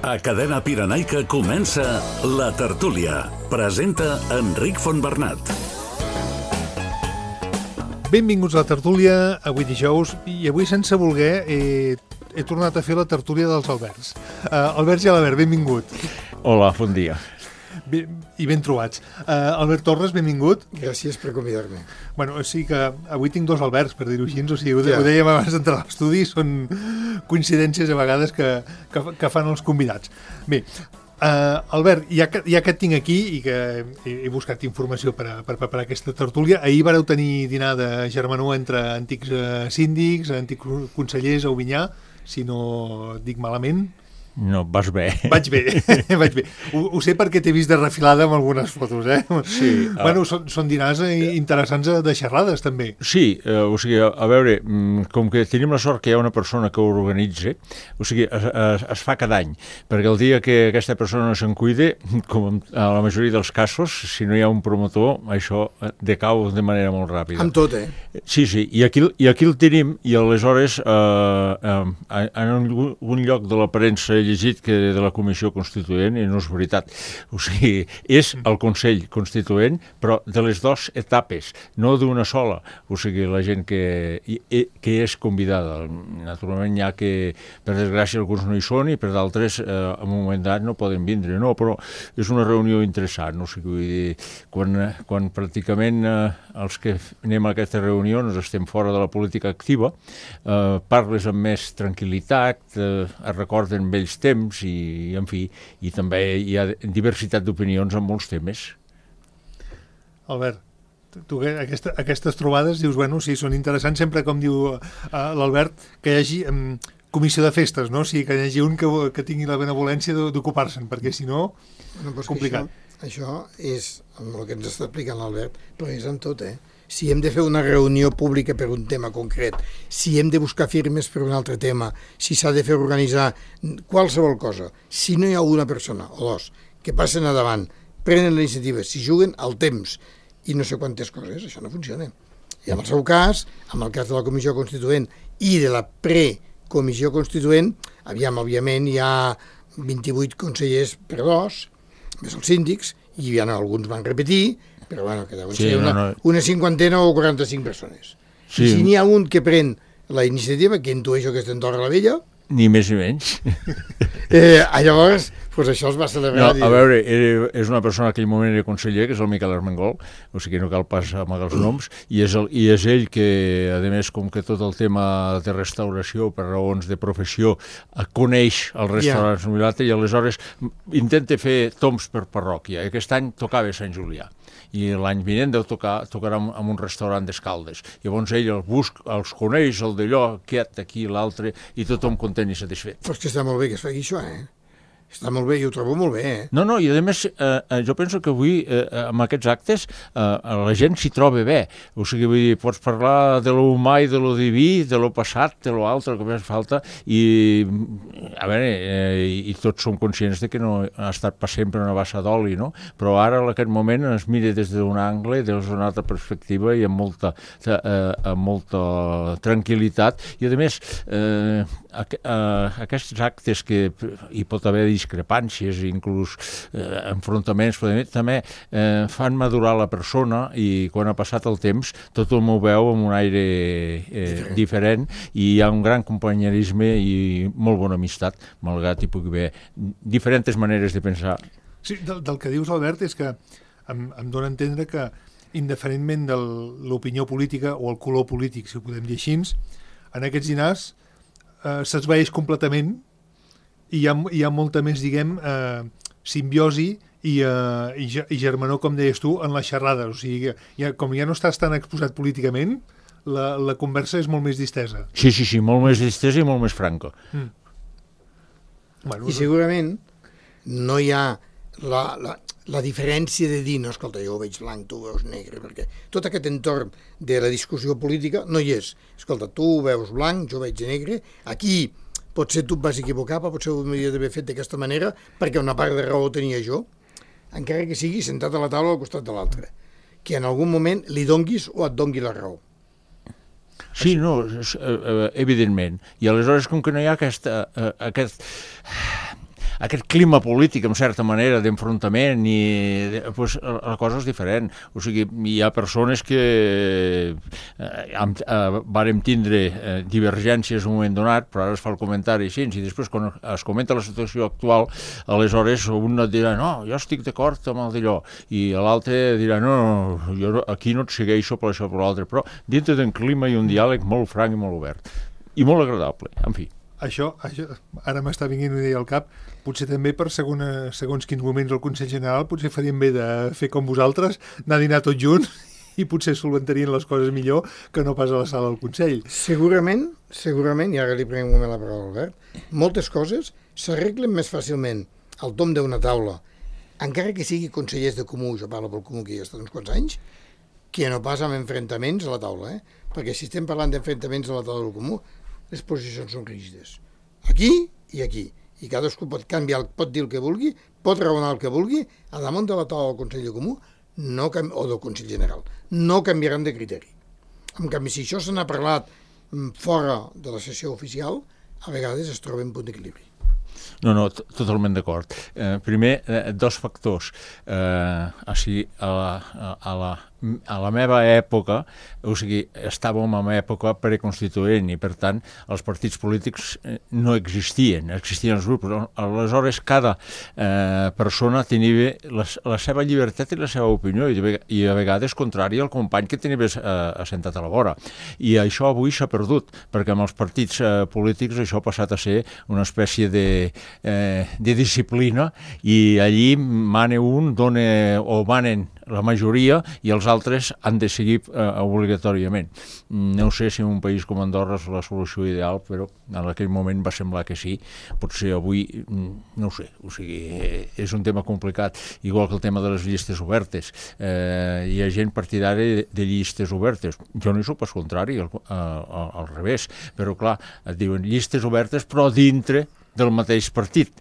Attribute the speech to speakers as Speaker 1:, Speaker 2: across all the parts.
Speaker 1: A Cadena Pirenaica comença La Tertúlia. Presenta Enric Fontbernat.
Speaker 2: Benvinguts a La Tertúlia, avui dijous, i avui sense voler he tornat a fer la tertúlia dels Alberts. Albert Gelabert, benvingut.
Speaker 3: Hola, bon dia.
Speaker 2: I ben trobats. Albert Torres, benvingut.
Speaker 4: Gràcies per convidar-me.
Speaker 2: Bueno, o sigui que avui tinc dos Alberts, per dir-ho així, o sigui, ho dèiem abans d'entrar a l'estudi, són coincidències a vegades que fan els convidats. Bé, Albert, ja que et tinc aquí i que he buscat informació per preparar aquesta tertúlia, ahir vareu tenir dinar de germanor entre antics síndics, antics consellers a Ovinyà, si no dic malament.
Speaker 3: No, vas bé.
Speaker 2: Vaig bé. Ho sé perquè t'he vist de refilada amb algunes fotos, eh?
Speaker 3: Sí.
Speaker 2: Bueno, són dinars interessants de xerrades, també.
Speaker 3: Sí, o sigui, a veure, com que tenim la sort que hi ha una persona que ho organitza, o sigui, es fa cada any, perquè el dia que aquesta persona no se'n cuide, com a la majoria dels casos, si no hi ha un promotor, això decau de manera molt ràpida.
Speaker 4: Amb tot,
Speaker 3: Sí, i aquí el tenim, i aleshores en algun lloc de la premsa he llegit que de la Comissió Constituent, i no és veritat. O sigui, és el Consell Constituent, però de les dues etapes, no d'una sola. O sigui, la gent que és convidada. Naturalment hi ha que, per desgràcia, alguns no hi són i per d'altres, en un moment dat, no poden vindre. No, però és una reunió interessant. O sigui, vull dir, quan pràcticament els que anem a aquesta reunió ens estem fora de la política activa, parles amb més tranquil·litat, es recorden vells temps i, en fi, i també hi ha diversitat d'opinions en molts temes.
Speaker 2: Albert, tu aquestes trobades dius, bueno, sí, són interessants sempre, com diu l'Albert, que hi hagi comissió de festes, no? O sigui, que hi hagi un que tingui la benevolència d'ocupar-se'n, perquè si no, complicat.
Speaker 4: Això és el que ens està explicant l'Albert, però és amb tot, Si hem de fer una reunió pública per un tema concret, si hem de buscar firmes per un altre tema, si s'ha de fer organitzar qualsevol cosa, si no hi ha una persona o dos que passen a davant, prenen la iniciativa, si juguen al temps i no sé quantes coses, això no funciona. I en el seu cas, en el cas de la Comissió Constituent i de la precomissió Constituent, òbviament hi ha 28 consellers per dos, més els síndics, i alguns van repetir, però bueno, que deuen ser una cinquantena o 45 persones. Sí. I si n'hi ha un que pren la iniciativa, que intueixo que és d'Andorra la Vella,
Speaker 3: ni més ni menys.
Speaker 4: Llavors, doncs això es va celebrar.
Speaker 3: No, a veure, és una persona en aquell moment era conseller, que és el Miquel Armengol, o sigui, no cal pas amagar els noms, i és ell que, a més, com que tot el tema de restauració per raons de professió coneix els restaurants Nobilata, i aleshores intenta fer tombs per parròquia. Aquest any tocava Sant Julià, i l'any vinent tocarà en un restaurant d'Escaldes. Llavors ell els coneix, el d'allò, aquest, aquí, l'altre, i tothom content i satisfet.
Speaker 4: Però és que està molt bé que es faci això, Està molt bé, i ho trobo molt bé,
Speaker 3: No, i a més, jo penso que avui, amb aquests actes, la gent s'hi troba bé. O sigui, vull dir, pots parlar de lo humà i de lo diví, de lo passat, de lo altre, el que més falta, i, a veure, i tots som conscients de que no ha estat per sempre una bassa d'oli, no? Però ara, en aquest moment, es mira des d'un angle, des d'una altra perspectiva, i amb molta tranquil·litat, i, a més, aquests actes que hi pot haver discrepàncies, inclús enfrontaments, també fan madurar la persona, i quan ha passat el temps tothom ho veu amb un aire diferent, i hi ha un gran companyerisme i molt bona amistat, malgrat hi pugui haver diferents maneres de pensar.
Speaker 2: Sí, del que dius, Albert, és que em dóna a entendre que, indiferentment de l'opinió política o el color polític, si ho podem dir així, en aquests dinars s'esvaeix completament i hi ha molta més, diguem, simbiosi i germanor, com deies tu, en les xerrades. O sigui, com ja no estàs tan exposat políticament, la conversa és molt més distesa.
Speaker 3: Sí, molt més distesa i molt més franca.
Speaker 4: I segurament no hi ha la diferència de dir, no, escolta, jo ho veig blanc, tu ho veus negre, perquè tot aquest entorn de la discussió política no hi és. Escolta, tu ho veus blanc, jo ho veig negre, aquí potser tu et vas equivocar, però potser ho hauria d'haver fet d'aquesta manera, perquè una part de raó tenia jo, encara que sigui sentat a la taula al costat de l'altre, que en algun moment li donguis o et dongui la raó.
Speaker 3: Sí, no, evidentment. I aleshores, com que no hi ha aquest aquest clima polític, en certa manera, d'enfrontament, pues, la cosa és diferent. O sigui, hi ha persones que vàrem tindre divergències en un moment donat, però ara es fa el comentari així, i després quan es comenta la situació actual, aleshores un et dirà, no, jo estic d'acord amb el d'allò, i l'altre dirà, no, jo aquí no et segueixo per això o per l'altre, però dintre d'un clima i un diàleg molt franc i molt obert, i molt agradable, en fi.
Speaker 2: Això ara m'està venint una idea al cap, potser també per segons quins moments al Consell General potser faríem bé de fer com vosaltres, anar a dinar tots junts i potser solventarien les coses millor que no pas a la sala del Consell.
Speaker 4: Segurament, i ara li prenc un moment la paraula a Albert, moltes coses s'arreglen més fàcilment al tom d'una taula, encara que sigui consellers de Comú, jo parlo pel Comú que ja està uns quants anys, que no pas amb enfrontaments a la taula, perquè si estem parlant d'enfrontaments a la taula del Comú, les posicions són rígides. Aquí i aquí. I cadascú pot canviar, pot dir el que vulgui, pot raonar el que vulgui, a damunt de la taula del Consell de Comú o del Consell General. No canviaran de criteri. En canvi, si això se n'ha parlat fora de la sessió oficial, a vegades es troba en punt d'equilibri.
Speaker 3: No, totalment d'acord. Primer, dos factors. Així, a la meva època, o sigui, estàvem en una època preconstituent i, per tant, els partits polítics no existien els grups. Aleshores, cada persona tenia la seva llibertat i la seva opinió i a vegades contrària al company que tenia assentat a la vora. I això avui s'ha perdut, perquè amb els partits polítics això ha passat a ser una espècie de disciplina i allí mana un, manen la majoria i els altres han de seguir obligatòriament. No sé si en un país com Andorra és la solució ideal, però en aquell moment va semblar que sí. Potser avui, no ho sé, o sigui, és un tema complicat, igual que el tema de les llistes obertes. Hi ha gent partidària de llistes obertes. Jo no hi soc pas contrari, al revés, però clar, et diuen llistes obertes però dintre del mateix partit.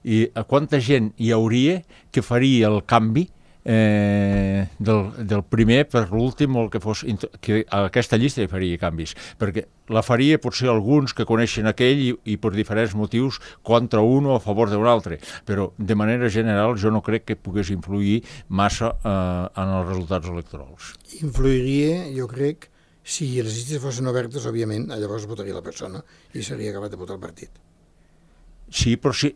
Speaker 3: I quanta gent hi hauria que faria el canvi del primer per l'últim o el que fos, que a aquesta llista hi faria canvis, perquè la faria potser alguns que coneixen aquell i per diferents motius contra un o a favor d'un altre, però de manera general jo no crec que pogués influir massa en els resultats electorals.
Speaker 4: Influiria, jo crec, si les llistes fossin obertes, òbviament, llavors votaria la persona i seria acabat de votar el partit.
Speaker 3: Sí, però si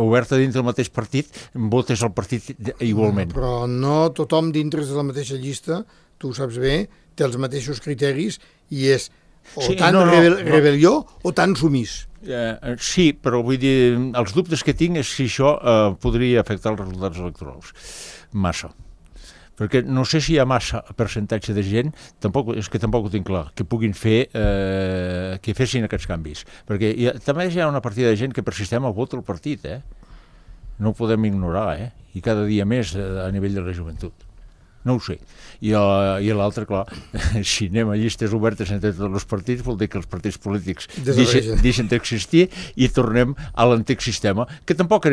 Speaker 3: oberta dintre del mateix partit, votes al partit igualment.
Speaker 4: No, però no tothom dintre de la mateixa llista, tu ho saps bé, té els mateixos criteris i és rebel·lió o tant sumís.
Speaker 3: Sí, però vull dir, els dubtes que tinc és si això podria afectar els resultats electorals. Massa. Perquè no sé si hi ha massa percentatge de gent, tampoc ho tinc clar, que puguin fer, que fessin aquests canvis. Perquè també hi ha una partida de gent que per sistema vota el partit, no ho podem ignorar, i cada dia més a nivell de la joventut. No ho sé. I l'altre, clar, si anem a llistes obertes entre tots els partits, vol dir que els partits polítics deixen d'existir i tornem a l'antic sistema, que tampoc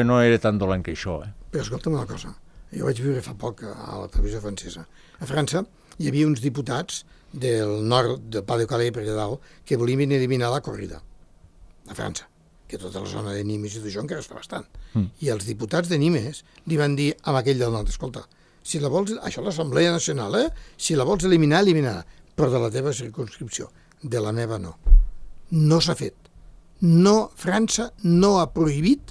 Speaker 3: no era tan dolent que això.
Speaker 4: Però escolta'm una cosa. Jo vaig viure fa poc a la televisió francesa. A França hi havia uns diputats del nord, del Pas de Calais per allà dalt, que volien eliminar la corrida a França, que tota la zona de Nimes i d'això encara està bastant. I els diputats de Nimes li van dir a aquell del nord, escolta, si la vols, això l'Assemblea Nacional, si la vols eliminar, elimina-la, però de la teva circumscripció, de la meva no. No s'ha fet. No, França no ha prohibit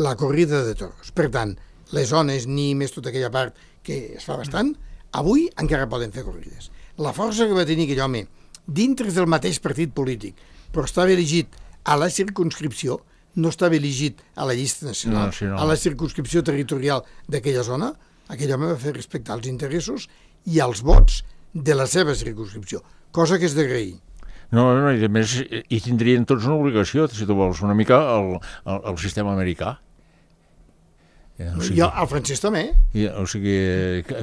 Speaker 4: la corrida de toros. Per tant, les zones, Nimes, tota aquella part que es fa bastant, avui encara poden fer corrides. La força que va tenir aquell home dintre del mateix partit polític, però estava elegit a la circumscripció, no estava elegit a la llista nacional, a la circumscripció territorial d'aquella zona, aquell home va fer respectar els interessos i els vots de la seva circumscripció, cosa que és d'agrair.
Speaker 3: No, i a més hi tindrien tots una obligació, si tu vols, una mica el sistema americà.
Speaker 4: El francès també.
Speaker 3: O sigui,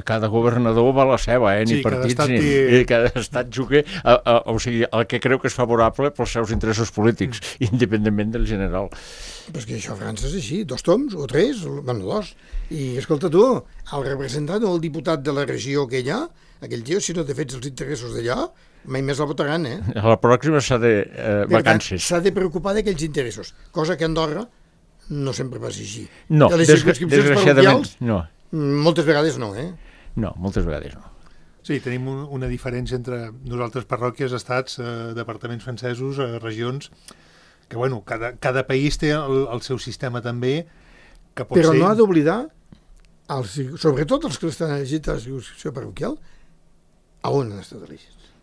Speaker 3: cada governador va a la seva, ni partits, ni cada estat juga o sigui, el que creu que és favorable pels seus interessos polítics, independentment del general.
Speaker 4: Però és que això a França és així, 2 toms o 3, bueno, 2. I escolta tu, el representant o el diputat de la regió aquella, aquell tio, si no té fets els interessos d'allà, mai més la votaran,
Speaker 3: A la pròxima s'ha de vacances.
Speaker 4: S'ha de preocupar d'aquells interessos, cosa que a Andorra no sempre va ser així.
Speaker 3: No,
Speaker 4: les circumscripcions
Speaker 3: desgraciadament no.
Speaker 4: Moltes vegades no,
Speaker 3: No, moltes vegades no.
Speaker 2: Sí, tenim una diferència entre nosaltres parròquies, estats, departaments francesos, regions, que bueno, cada país té el seu sistema també, que pot
Speaker 4: Però
Speaker 2: ser...
Speaker 4: no ha d'oblidar, sobretot els que estan elegits a la circumscripció parroquial, a on han estat elegits.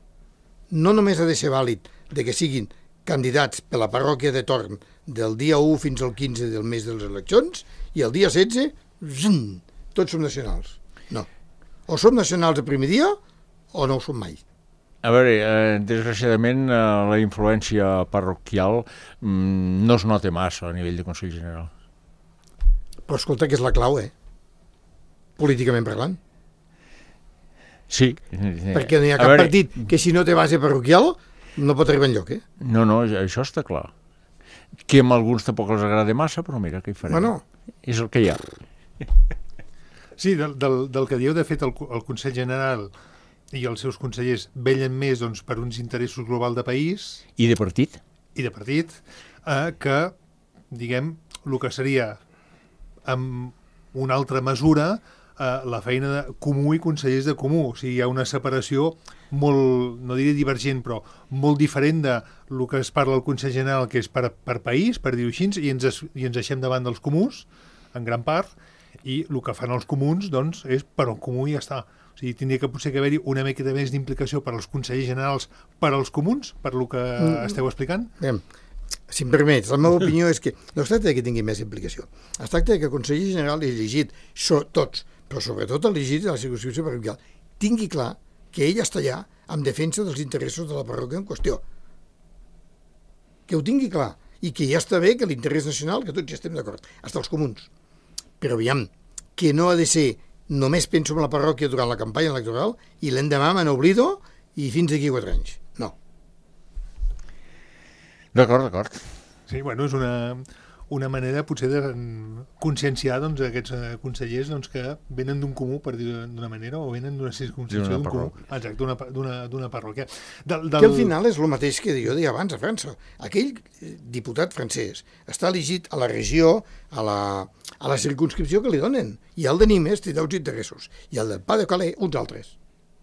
Speaker 4: No només ha de ser vàlid de que siguin candidats per la parròquia de torn del dia 1 fins al 15 del mes de les eleccions i el dia 16, tots som nacionals. No. O som nacionals el primer dia o no ho som mai.
Speaker 3: A veure, desgraciadament la influència parroquial no es nota massa a nivell de Consell General.
Speaker 4: Però escolta, que és la clau, políticament parlant.
Speaker 3: Sí.
Speaker 4: Perquè no hi ha cap partit que si no té base parroquial no pot arribar enlloc,
Speaker 3: No, això està clar. Que a alguns tampoc els agrada massa, però mira, què hi farem?
Speaker 4: Bueno.
Speaker 3: És el que hi ha.
Speaker 2: Sí, del que dieu, de fet, el Consell General i els seus consellers vellen més doncs, per uns interessos global de país...
Speaker 3: I de partit.
Speaker 2: I de partit, que, diguem, el que seria, amb una altra mesura, la feina de comú i consellers de comú. O sigui, hi ha una separació molt, no diré divergent, però molt diferent de el que es parla al Consell General, que és per país, per dir-ho així, i ens deixem davant dels comuns, en gran part, i el que fan els comuns doncs, és per al comú i ja està. O sigui, tindria que potser haver-hi una miqueta més d'implicació per als consellers generals per als comuns, per el que esteu explicant?
Speaker 4: Bé, si em permets, la meva opinió és que no es tracta que tingui més implicació. Es tracta que el conseller general és elegit, tots, però sobretot elegit a la circumscripció parroquial, tingui clar que ell està allà en defensa dels interessos de la parròquia en qüestió. Que ho tingui clar. I que ja està bé que l'interès nacional, que tots ja estem d'acord, hasta els comuns. Però aviam, que no ha de ser només penso en la parròquia durant la campanya electoral i l'endemà me n'oblido i fins d'aquí 4 anys. No.
Speaker 3: D'acord.
Speaker 2: Sí, bueno, és una manera potser de conscienciar doncs, aquests consellers doncs, que venen d'un comú, per dir-ho d'una manera, o venen d'una circumscripció d'un comú. Exacte, d'una parròquia. Que
Speaker 4: al final és el mateix que jo deia abans a França. Aquell diputat francès està elegit a la regió, a la circumscripció que li donen, i el de Nimes té 10 interessos, i el del Pas de Calais uns altres.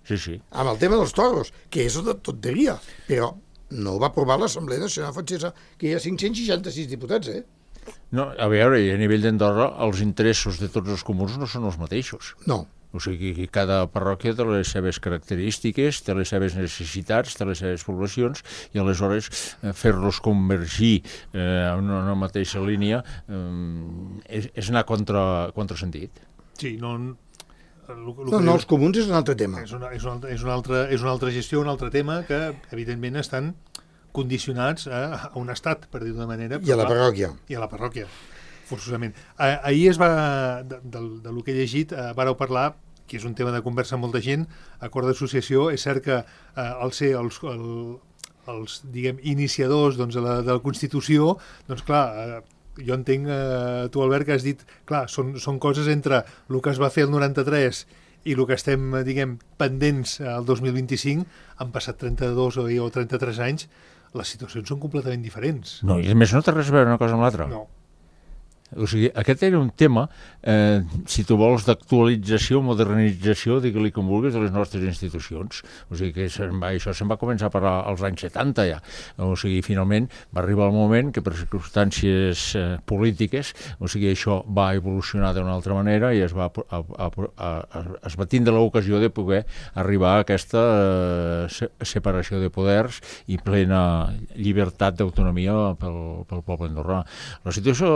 Speaker 3: Sí.
Speaker 4: Amb el tema dels toros, que és una tonteria, però no ho va aprovar l'Assemblea Nacional Francesa, que hi ha 566 diputats,
Speaker 3: No, a veure, i a nivell d'Andorra els interessos de tots els comuns no són els mateixos.
Speaker 4: No.
Speaker 3: O sigui que cada parròquia té les seves característiques, té les seves necessitats, té les seves poblacions, i aleshores fer-los convergir en una mateixa línia és anar contrasentit.
Speaker 2: Sí,
Speaker 4: No, els comuns és un altre tema.
Speaker 2: És una altra gestió, un altre tema que, evidentment, estan condicionats a un estat, per dir d'una manera.
Speaker 4: I a la parròquia.
Speaker 2: I a la parròquia, forçosament. Ahir es va, del que he llegit, vareu parlar, que és un tema de conversa amb molta gent, acord d'associació, és cert que al ser els diguem, iniciadors doncs, de la Constitució, doncs clar, jo entenc, tu Albert, que has dit, clar, són coses entre el que es va fer el 93 i el que estem, diguem, pendents al 2025, han passat 32 o 33 anys, les situacions són completament diferents.
Speaker 3: No, i a més no té res a veure una cosa amb l'altra.
Speaker 2: No.
Speaker 3: O sigui, aquest era un tema, si tu vols, d'actualització, modernització, digue-li com vulguis, de les nostres institucions. O sigui, que això se'n va començar a parlar als anys 70 ja. O sigui, finalment va arribar el moment que per circumstàncies polítiques, o sigui, això va evolucionar d'una altra manera i es va tindre l'ocasió de poder arribar a aquesta separació de poders i plena llibertat d'autonomia pel poble andorrà. La situació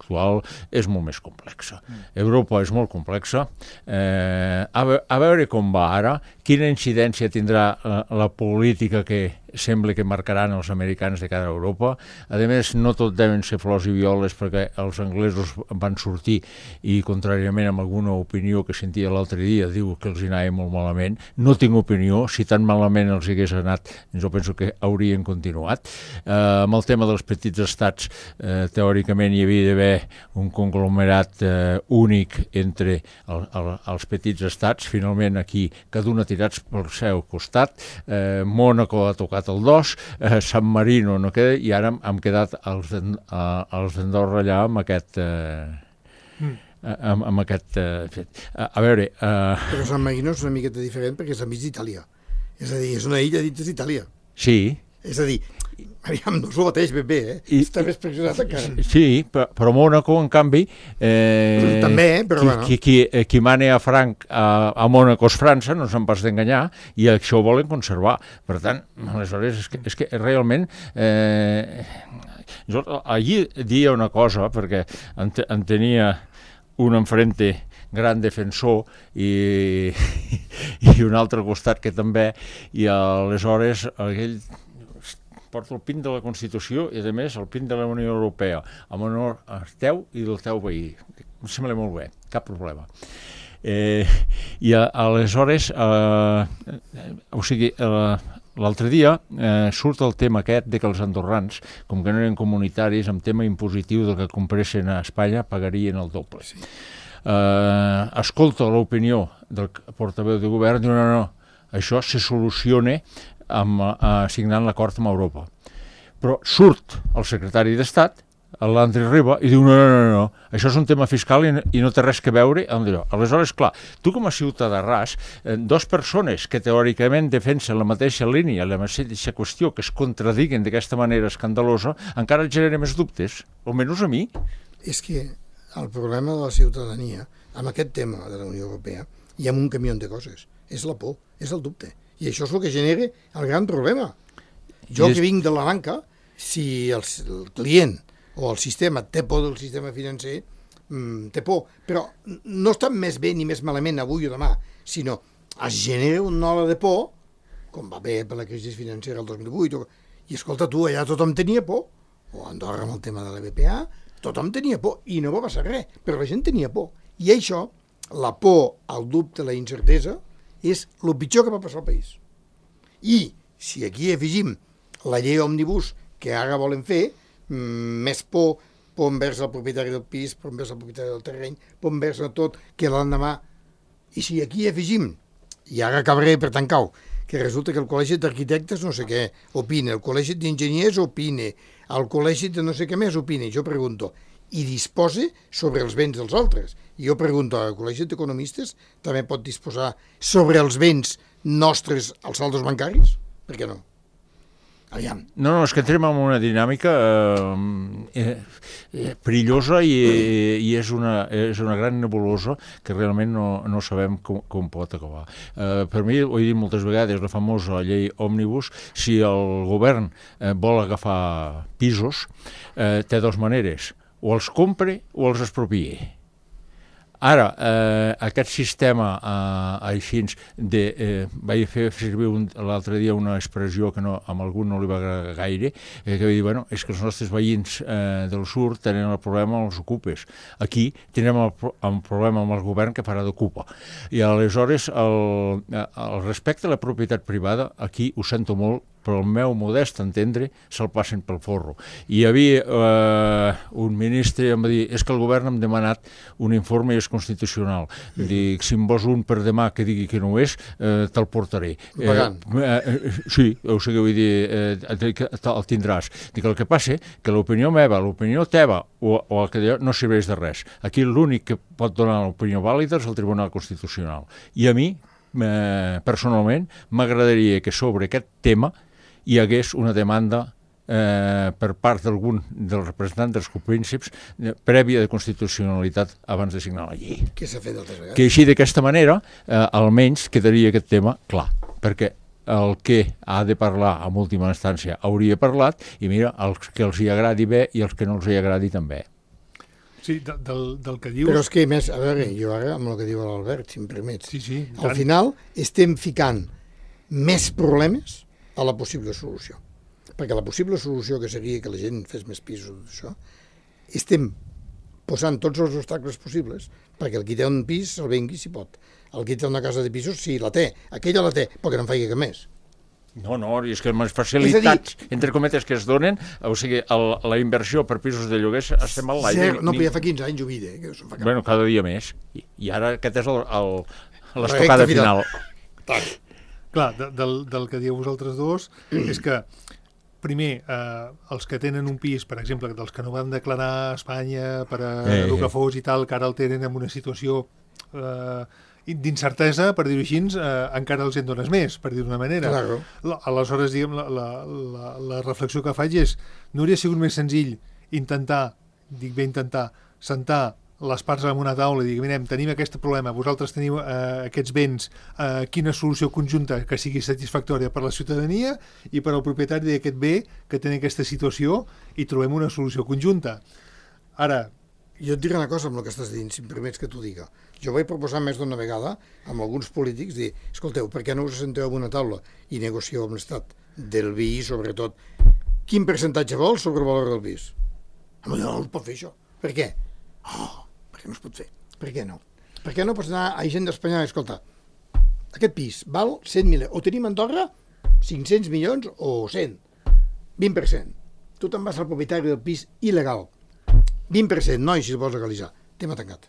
Speaker 3: actual és molt més complexa. Europa és molt complexa. A veure com va ara, quina incidència tindrà la política que sembla que marcaran els americans de cada Europa. A més, no tot deuen ser flors i violes perquè els anglesos van sortir i, contràriament amb alguna opinió que sentia l'altre dia, diu que els hi anava molt malament. No tinc opinió. Si tan malament els hagués anat, jo penso que haurien continuat. Amb el tema dels petits estats, teòricament hi havia d'haver un conglomerat únic entre els petits estats. Finalment, aquí, cada un ha tirats pel seu costat. Mònaco ha tocat quedat el 2, San Marino no queda, i ara hem quedat els d'Andorra allà amb aquest... amb aquest fet. A veure...
Speaker 4: Però San Marino és una miqueta diferent perquè és enmig d'Itàlia. És a dir, és una illa dins d'Itàlia.
Speaker 3: Sí.
Speaker 4: És a dir, aviam, no és el mateix ben bé, està més pressionat encara.
Speaker 3: Sí, però Mònaco, en canvi...
Speaker 4: també, però bueno.
Speaker 3: Qui mane a Franc a Mònaco és França, no se'n pas d'enganyar, i això ho volen conservar. Per tant, aleshores, és que realment... Jo allí dia una cosa, perquè en tenia un enfrente gran defensor i un altre costat que també, i aleshores aquell porta el pin de la Constitució i, a més, el pin de la Unió Europea, amb honor al teu i del teu veí. Em sembla molt bé, cap problema. I aleshores, o sigui, l'altre dia surt el tema aquest de que els andorrans, com que no eren comunitaris, amb tema impositiu del que compressen a Espanya, pagarien el doble. Sí. Escolta l'opinió del portaveu de govern, diu no, això se soluciona signant l'acord amb Europa. Però surt el secretari d'Estat, l'Andri Riba, i diu no, això és un tema fiscal i no té res que veure amb allò. Aleshores, clar, tu com a ciutadà ras, dos persones que teòricament defensen la mateixa línia, la mateixa qüestió, que es contradiguen d'aquesta manera escandalosa, encara et genera més dubtes, almenys a mi.
Speaker 4: És que el problema de la ciutadania, amb aquest tema de la Unió Europea, hi ha un camió de coses. És la por, és el dubte. I això és el que genera el gran problema. Jo que vinc de la banca, si el client o el sistema té por del sistema financer, té por. Però no està més bé ni més malament avui o demà, sinó es genera una ola de por, com va bé per la crisi financera el 2008, i escolta, tu, allà tothom tenia por, o a Andorra amb el tema de la BPA, tothom tenia por, i no va passar res, però la gent tenia por. I això, la por, el dubte, la incertesa, és el pitjor que va passar al país. I si aquí afegim la llei òmnibus que ara volen fer, més por envers el propietari del pis, por envers el propietari del terreny, por envers tot, que l'endemà. I si aquí afegim, i ara acabaré per tancar-ho, que resulta que el col·legi d'arquitectes no sé què opina, el col·legi d'enginyers opina, el col·legi de no sé què més opina, i jo pregunto, i dispose sobre els béns dels altres. I jo pregunto, el col·legi d'economistes també pot disposar sobre els béns nostres als saldos bancaris? Per què no? Aviam.
Speaker 3: No, és que entrem en una dinàmica perillosa i és una gran nebulosa que realment no sabem com pot acabar. Per mi, ho he dit moltes vegades, la famosa llei òmnibus, si el govern vol agafar pisos, té dues maneres, o els compre o els expropie. Ara, aquest sistema així vaig fer servir l'altre dia una expressió que amb algú no li va agradar gaire, que va dir, bueno, és que els nostres veïns del sud tenen el problema amb els ocupes. Aquí tenim el problema amb el govern que farà d'ocupa. I aleshores, el respecte a la propietat privada, aquí ho sento molt, però el meu modest entendre se'l passen pel forro. I hi havia un ministre que em va dir, és que el govern m'ha demanat un informe i és constitucional. Dic, si em vols un per demà que digui que no és, te'l portaré. Sí, o sigui, vull dir, el tindràs. Dic, el que passa que l'opinió meva, l'opinió teva o el que diu no serveix de res. Aquí l'únic que pot donar l'opinió vàlida és el Tribunal Constitucional. I a mi, personalment, m'agradaria que sobre aquest tema hi hagués una demanda per part d'algun dels representants dels copríncips prèvia de constitucionalitat abans de signar la llei.
Speaker 4: Que s'ha fet altres vegades.
Speaker 3: Que així d'aquesta manera almenys quedaria aquest tema clar, perquè el que ha de parlar en última instància hauria parlat i mira, els que els hi agradi bé i els que no els hi agradi també.
Speaker 2: Sí, del que dius...
Speaker 4: Però és que, més, a veure, jo ara, amb el que diu l'Albert, si em permets,
Speaker 2: sí,
Speaker 4: al final estem ficant més problemes a la possible solució. Perquè la possible solució, que seria que la gent fes més pisos d'això, estem posant tots els obstacles possibles perquè el qui té un pis el vengui si pot. El qui té una casa de pisos, sí, la té. Aquella la té, però que no en faci cap més.
Speaker 3: No, i és que les facilitats, entre cometes, que es donen, o sigui, la inversió per pisos de lloguers estem al l'aire.
Speaker 4: No, però ja fa 15 anys ho vi, que se'n fa cap.
Speaker 3: Bueno, cada dia més. I ara aquest és l'estocada final.
Speaker 2: Clar, del que dieu vosaltres dos és que, primer, els que tenen un pis, per exemple, dels que no van declarar a Espanya per a el que fos i tal, que ara el tenen en una situació d'incertesa, per dir-ho així, encara els en dones més, per dir-ho d'una manera.
Speaker 4: Claro.
Speaker 2: Aleshores, diguem, la reflexió que faig és, no hauria sigut més senzill intentar sentar les parts en una taula i dir, mirem, tenim aquest problema, vosaltres teniu aquests béns, quina solució conjunta que sigui satisfactòria per la ciutadania i per al propietari d'aquest bé que té aquesta situació i trobem una solució conjunta. Ara,
Speaker 4: jo et diré una cosa amb el que estàs dient, si em permets que t'ho diga. Jo vaig proposar més d'una vegada amb alguns polítics dir, escolteu, per què no us assenteu en una taula i negocieu amb l'Estat del vi, sobretot, quin percentatge vol sobre el valor del vi? No el pot fer això. Per què? Perquè no es pot fer. Per què no? Per què no pots anar a gent d'Espanya i escolta, aquest pis val 100.000, o tenim a Andorra 500 milions o 100, 20%. Tu te'n vas al propietari del pis il·legal. 20%, noi, si el vols legalitzar. Tema tancat.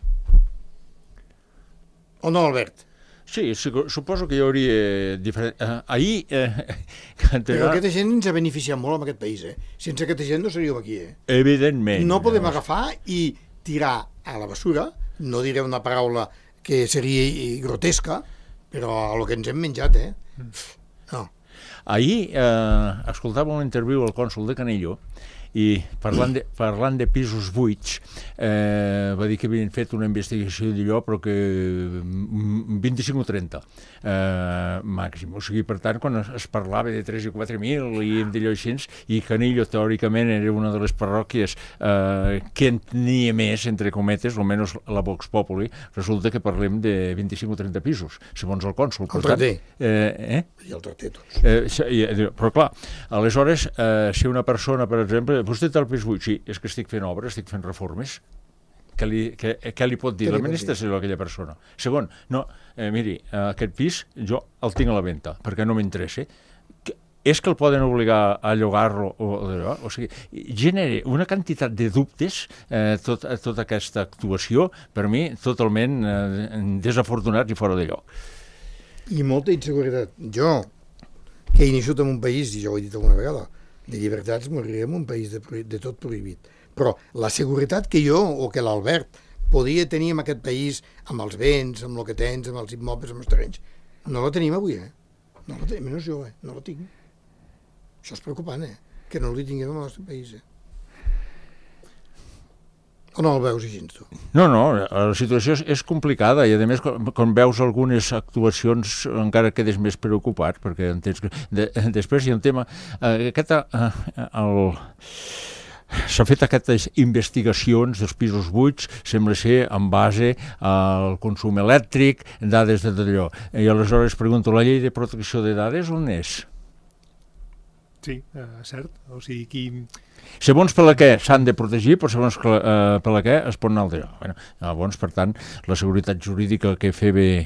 Speaker 4: O no, Albert?
Speaker 3: Sí, suposo que hi hauria diferent... ahir...
Speaker 4: Però aquesta gent ens ha beneficiat molt en aquest país, Sense aquesta gent no seríem aquí,
Speaker 3: Evidentment.
Speaker 4: No podem agafar i tirar a la basura, no diré una paraula que seria grotesca, però a lo que ens hem menjat, No.
Speaker 3: Ahir escoltava una interviu al cònsol de Canillo i parlant de pisos buits va dir que havien fet una investigació d'allò però que 25 o 30 màxim, o sigui, per tant quan es parlava de 3 i 4.000 i d'allò així, i Canillo teòricament era una de les parròquies que en tenia més, entre cometes, almenys la Vox Populi, resulta que parlem de 25 o 30 pisos, segons el cònsol.
Speaker 4: El traté. I el traté tots.
Speaker 3: Però clar, aleshores si una persona, per exemple, vostè té el pis buit? Sí, és que estic fent obres, estic fent reformes. Què li pot dir l'administració a aquella persona? Segon, no, miri, aquest pis jo el tinc a la venda, perquè no m'interessa. És que el poden obligar a llogar-lo? O sigui, genera una quantitat de dubtes tota aquesta actuació, per mi, totalment desafortunats i fora de lloc.
Speaker 4: I molta inseguretat. Jo, que he nascut en un país, i ja ho he dit alguna vegada, de llibertats, morirem en un país de tot prohibit. Però la seguretat que jo o que l'Albert podia tenir en aquest país amb els béns, amb el que tens, amb els immobles, amb els terrenys, no la tenim avui, No la tenim, menys jo, no la tinc. Això és preocupant, que no la tinguem al nostre país, O no el veus així, tu?
Speaker 3: No, la situació és complicada i, a més, quan veus algunes actuacions encara quedes més preocupat, perquè entens que... Després hi ha un tema... S'han fet aquestes investigacions dels pisos buits, sembla ser en base al consum elèctric, dades de tot allò. I aleshores pregunto, la llei de protecció de dades on és?
Speaker 2: Sí, cert. O sigui, qui...
Speaker 3: Segons per la que s'han de protegir, però segons per la que es pot anar al d'allò. Llavors, per tant, la seguretat jurídica que feia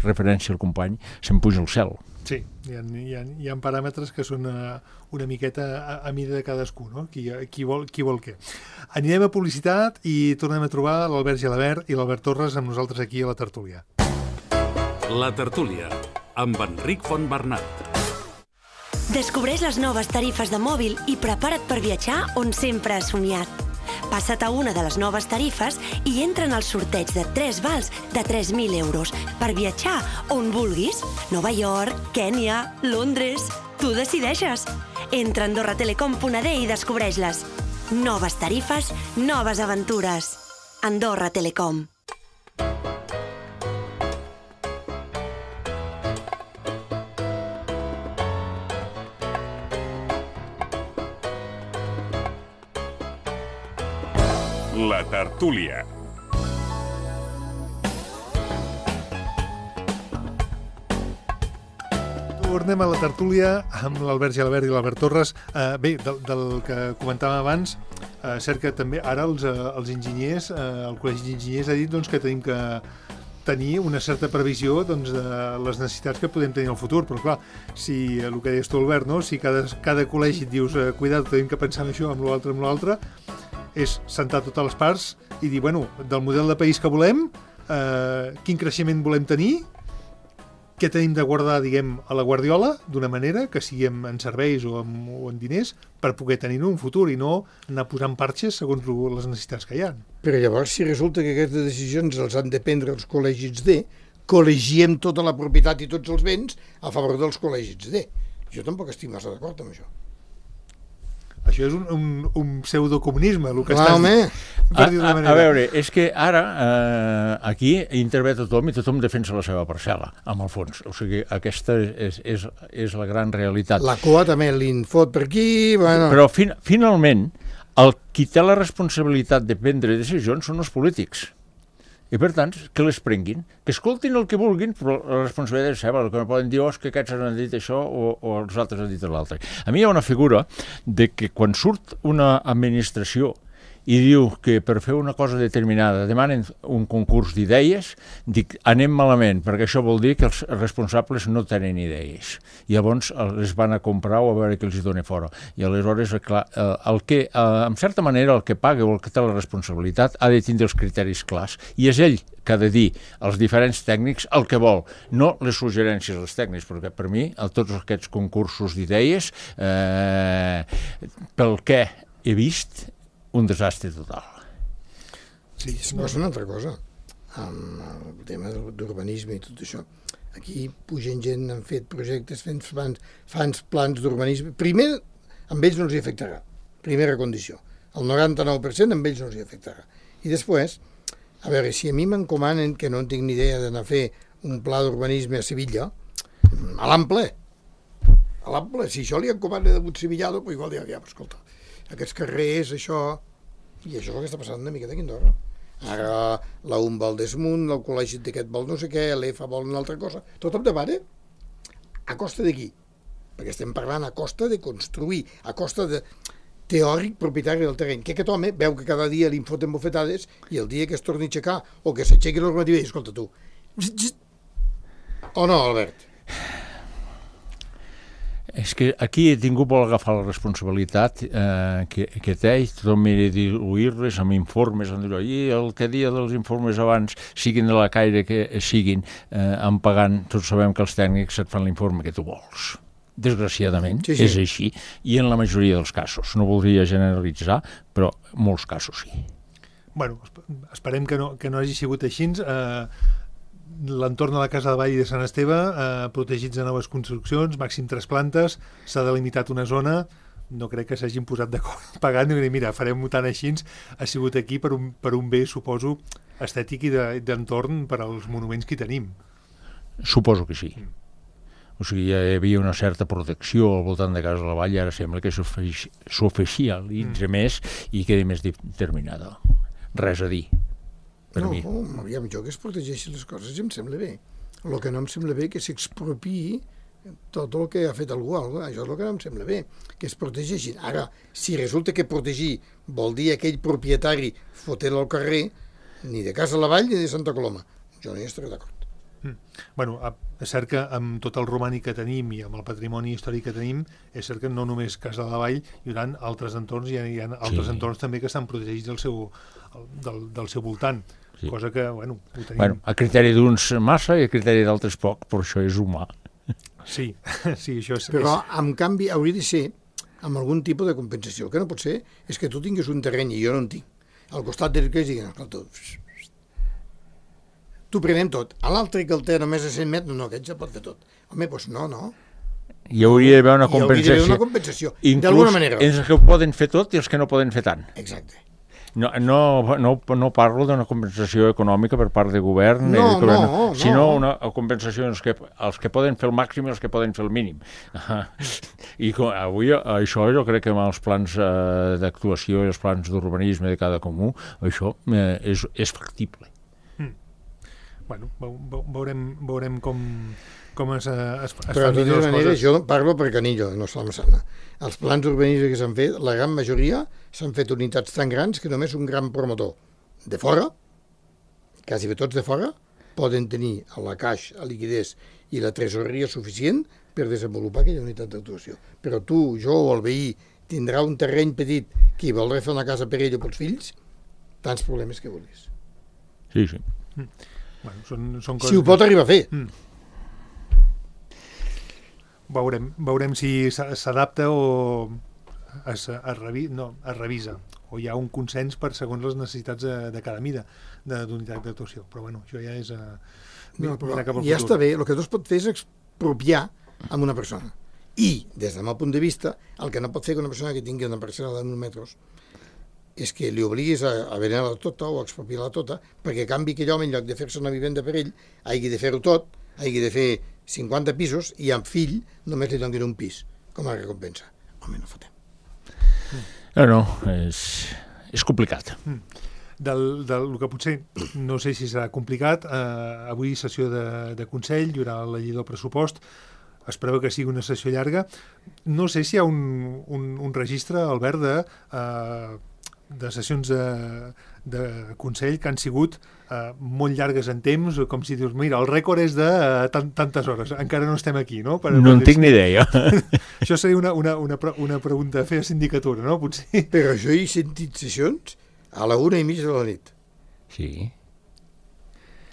Speaker 3: referència al company se'n puja al cel.
Speaker 2: Sí, hi ha paràmetres que són una miqueta a mida de cadascú, no? Qui vol què. Anirem a publicitat i tornem a trobar l'Albert Gelabert i l'Albert Torres amb nosaltres aquí a la tertúlia.
Speaker 1: La tertúlia, amb Enric Fontbernat.
Speaker 5: Descobreix les noves tarifes de mòbil i prepara't per viatjar on sempre has somiat. Passa't a una de les noves tarifes i entra en el sorteig de 3 vals de 3.000 euros per viatjar on vulguis. Nova York, Kènia, Londres... Tu decideixes. Entra a AndorraTelecom.d i descobreix-les. Noves tarifes, noves aventures. Andorra Telecom.
Speaker 1: La tertúlia.
Speaker 2: Tornem a la tertúlia amb l'Albert Gelabert i l'Albert Torres. Bé, del que comentàvem abans, cert que també ara els enginyers, el Col·legi d'Enginyers ha dit doncs, que tenim que tenir una certa previsió doncs, de les necessitats que podem tenir al futur, però clar, si el que deies tu, Albert, no? Si cada col·legi et dius cuida't, tenim que pensar en això, amb l'altre, és sentar totes les parts i dir, bueno, del model de país que volem, quin creixement volem tenir què tenim de guardar, diguem, a la guardiola, d'una manera, que sigui en serveis o en diners, per poder tenir-ho en futur i no anar posant parxes segons les necessitats que hi ha.
Speaker 4: Però llavors, si resulta que aquestes decisions els han de prendre els col·legis D, col·legiem tota la propietat i tots els béns a favor dels col·legis D. Jo tampoc estic massa d'acord amb això.
Speaker 2: Això és un pseudocomunisme, el que
Speaker 4: Clar,
Speaker 2: estàs dient.
Speaker 3: A veure, és que ara aquí intervé tothom i tothom defensa la seva parcel·la, amb el fons. O sigui, aquesta és la gran realitat.
Speaker 4: La COA també l'infot per aquí... Bueno.
Speaker 3: Però finalment, qui té la responsabilitat de prendre decisions són els polítics. I per tant, que les prenguin, que escoltin el que vulguin, però la responsabilitat és seva, el que no poden dir és que aquests han dit això o els altres han dit l'altre. A mi hi ha una figura de que quan surt una administració i diu que per fer una cosa determinada demanen un concurs d'idees, dic, anem malament, perquè això vol dir que els responsables no tenen idees. I llavors les van a comprar o a veure què els hi dona fora. I aleshores, clar, en certa manera, el que paga o el que té la responsabilitat ha de tindre els criteris clars. I és ell que ha de dir als diferents tècnics el que vol, no les suggerències als tècnics, perquè per mi, a tots aquests concursos d'idees, pel que he vist, un desastre total.
Speaker 4: Sí, és una altra cosa, amb el tema d'urbanisme i tot això. Aquí pugen gent, han fet projectes, fan plans d'urbanisme. Primer, amb ells no els hi afectarà, primera condició. El 99% amb ells no els hi afectarà. I després, a veure, si a mi m'encomanen que no en tinc ni idea d'anar a fer un pla d'urbanisme a Sevilla, a l'ample, si això li encomana de Sevillado, pues igual ja, escolta, aquests carrers, això... I això és el que està passant una miqueta aquí a Andorra. Ara la UM vol desmunt, el col·legi d'aquest vol no sé què, l'EFA vol una altra cosa. Tot em demana a costa de qui? Perquè estem parlant a costa de construir, a costa de teòric propietari del terreny, que aquest home veu que cada dia li foten bofetades i el dia que es torni a aixecar o que s'aixequi la normativa i escolta tu. O no, Albert?
Speaker 3: És que aquí ningú vol agafar la responsabilitat que té i tothom mira a diluir-les amb informes, i el que dia dels informes abans, siguin de la caire que siguin, en pagant, tots sabem que els tècnics et fan l'informe que tu vols. Desgraciadament, sí. És així, i en la majoria dels casos. No voldria generalitzar, però molts casos sí.
Speaker 2: Bueno, esperem que no hagi sigut així. L'entorn de la Casa de Vall de Sant Esteve, protegits de noves construccions, màxim 3 plantes, s'ha delimitat una zona, no crec que s'hagin posat d'acord pagant i dir, mira, farem-ho tant així, ha sigut aquí per un bé, suposo, estètic i d'entorn per als monuments que hi tenim.
Speaker 3: Suposo que sí. O sigui, hi havia una certa protecció al voltant de Casa de la Vall i ara sembla que s'oficialitza més i quedi més determinada. Res a dir.
Speaker 4: No, aviam, jo que es protegeixi les coses ja em sembla bé. El que no em sembla bé que s'expropiï tot el que ha fet algú. Això és el que no em sembla bé, que es protegeixin. Ara, si resulta que protegir vol dir aquell propietari fotent al carrer, ni de Casa de la Vall ni de Santa Coloma. Jo no hi estaré d'acord.
Speaker 2: Bueno, és cert que amb tot el romànic que tenim i amb el patrimoni històric que tenim, és cert que no només Casa de la Vall, hi haurà altres entorns, hi ha altres entorns també que estan protegits del seu voltant. Sí. Cosa que, ho tenim...
Speaker 3: Bueno, a criteri d'uns massa i a criteri d'altres poc, però això és humà.
Speaker 2: Sí, això és...
Speaker 4: Però, en canvi, hauria de ser amb algun tipus de compensació. El que no pot ser és que tu tinguis un terreny i jo no en tinc. Al costat del que es diguin, escolta, tu prenem tot. A l'altre que el té només a 100 metres, no, aquest ja pot fer tot. Home, doncs no.
Speaker 3: Hi hauria d'haver una compensació.
Speaker 4: D'alguna manera.
Speaker 3: Inclús els que poden fer tot i els que no poden fer tant.
Speaker 4: Exacte.
Speaker 3: No parlo d'una compensació econòmica per part de govern, sinó una compensació als que poden fer el màxim i als que poden fer el mínim. I avui això jo crec que amb els plans d'actuació i els plans d'urbanisme de cada comú, això és factible.
Speaker 2: Bueno, veurem com es
Speaker 4: però de totes maneres jo parlo per Canillo, no se m'assana. Els plans d'urbanisme que s'han fet, la gran majoria s'han fet unitats tan grans que només un gran promotor de fora, quasi bé tots de fora, poden tenir la caixa, la liquidez i la tresoreria suficient per desenvolupar aquella unitat d'actuació. Però tu, jo o el veí tindrà un terreny petit que voldrà fer una casa per ell o pels fills, tants problemes que vulguis.
Speaker 3: Sí.
Speaker 2: Bueno, són coses
Speaker 4: si ho pot arribar a fer.
Speaker 2: Veurem si s'adapta o es revisa, o hi ha un consens per segons les necessitats de cada mida d'unitat d'actuació. Però bueno, això ja és...
Speaker 4: Ja està bé, el que no es pot fer és expropiar amb una persona. I, des del meu punt de vista, el que no pot fer que una persona que tingui una parcel·la de 1 metres és que li obliguis a venerar-la tota o a expropiar-la tota, perquè a canvi aquell home, en lloc de fer-se una vivenda per ell, hagi de fer-ho tot, hagi de fer 50 pisos i amb fill només li donin un pis, com a recompensa. Home, no fotem.
Speaker 3: No, és complicat.
Speaker 2: Del que potser no sé si serà complicat, avui sessió de Consell, hi haurà la llei del pressupost, es preveu que sigui una sessió llarga. No sé si hi ha un registre, Albert, de sessions de Consell que han sigut molt llargues en temps, com si dius, mira, el rècord és de tantes hores, encara no estem aquí, no?
Speaker 3: No en tinc ni idea.
Speaker 2: Això seria una pregunta a fer a sindicatura, no? Potser.
Speaker 4: Però jo he sentit sessions a la 1:30 de la nit.
Speaker 3: Sí.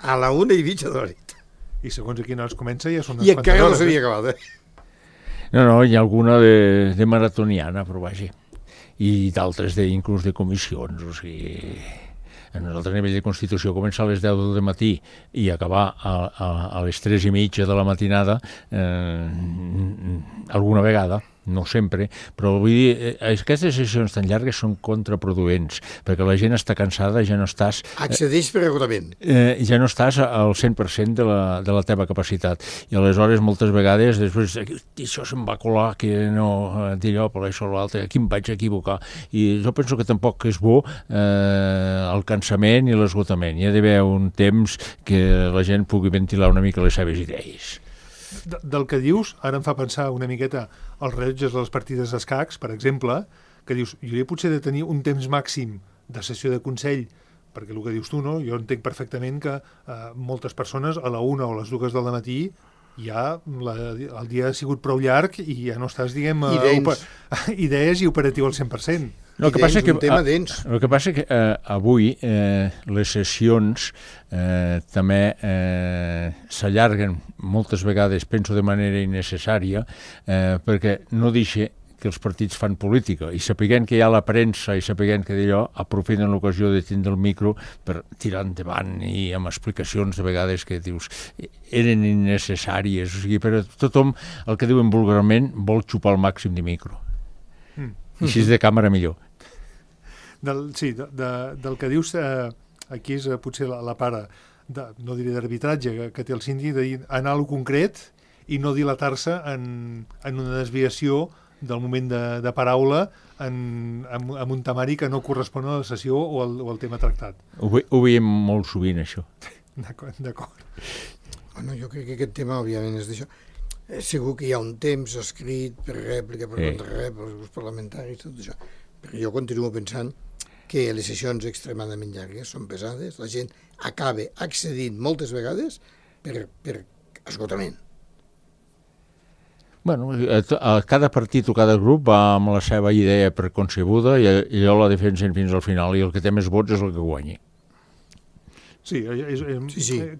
Speaker 4: A la 1:30 de la nit.
Speaker 2: I segons a quina hora es comença ja són unes
Speaker 4: I
Speaker 2: quantes
Speaker 4: encara no
Speaker 2: hores.
Speaker 4: s'havia acabat,
Speaker 3: No, hi ha alguna de maratoniana, però vaja. I d'altres inclús de comissions, o sigui... A nosaltres a nivell de Constitució començar a les 10 del matí i acabar a les 3:30 de la matinada alguna vegada, no sempre, però vull dir, aquestes sessions tan llargues són contraproduents, perquè la gent està cansada, ja no estàs...
Speaker 4: Accedeix per agotament.
Speaker 3: Ja no estàs al 100% de la teva capacitat. I aleshores, moltes vegades, després, això se'm va colar, que no d'allò, per això o l'altre, aquí em vaig equivocar. I jo penso que tampoc és bo el cansament i l'esgotament. Hi ha d'haver un temps que la gent pugui ventilar una mica les seves idees.
Speaker 2: Del que dius, ara em fa pensar una miqueta els rellotges de les partides d'escacs, per exemple, que dius, jo hauria potser de tenir un temps màxim de sessió de Consell, perquè el que dius tu, no? Jo entenc perfectament que moltes persones a la 1 o les 2 del matí ja el dia ha sigut prou llarg i ja no estàs, diguem, idees i operatiu al 100%.
Speaker 3: El que passa que avui les sessions també s'allarguen moltes vegades, penso de manera innecessària, perquè no deixa que els partits fan política i sapiguent que hi ha la premsa i sapiguent que d'allò aprofiten l'ocasió de tindre el micro per tirar endavant i amb explicacions de vegades que dius eren innecessàries, o sigui, però tothom, el que diuen vulgarment, vol xupar el màxim de micro. I si és de càmera, millor.
Speaker 2: Del que dius, aquí és potser la part, no diré d'arbitratge, que té el síndic, d'anar a lo concret i no dilatar-se en una desviació del moment de paraula amb un temari que no correspon a la sessió o al tema tractat.
Speaker 3: Ho veiem molt sovint, això.
Speaker 2: D'acord.
Speaker 4: Bueno, jo crec que aquest tema, òbviament, és d'això. Segur que hi ha un temps escrit per rèplica, per contrarèplica, els grups parlamentaris, tot això. Però jo continuo pensant que les sessions extremadament llargues són pesades, la gent acaba accedint moltes vegades per esgotament.
Speaker 3: Bueno, cada partit o cada grup va amb la seva idea preconcebuda i allò la defensen fins al final i el que té més vots és el que guanyi.
Speaker 2: Sí.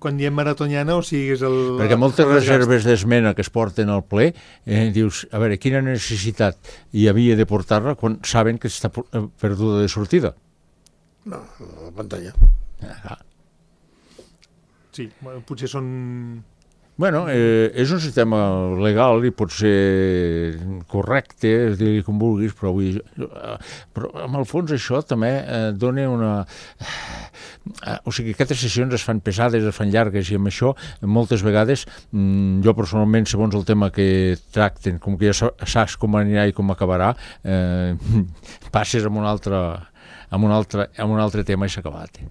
Speaker 2: Quan diem maratoniana, o sigui, és el...
Speaker 3: Perquè moltes reserves d'esmena que es porten al ple, dius, a veure, quina necessitat hi havia de portar-la quan saben que està perduda de sortida?
Speaker 4: No, la pantalla.
Speaker 2: Sí, potser són...
Speaker 3: Bueno, és un sistema legal i pot ser correcte, dir-li com vulguis, però en el fons això també dona una... O sigui, aquestes sessions es fan pesades, es fan llargues i amb això moltes vegades jo personalment, segons el tema que tracten, com que ja saps com anirà i com acabarà, passes amb un altre tema i s'ha acabat.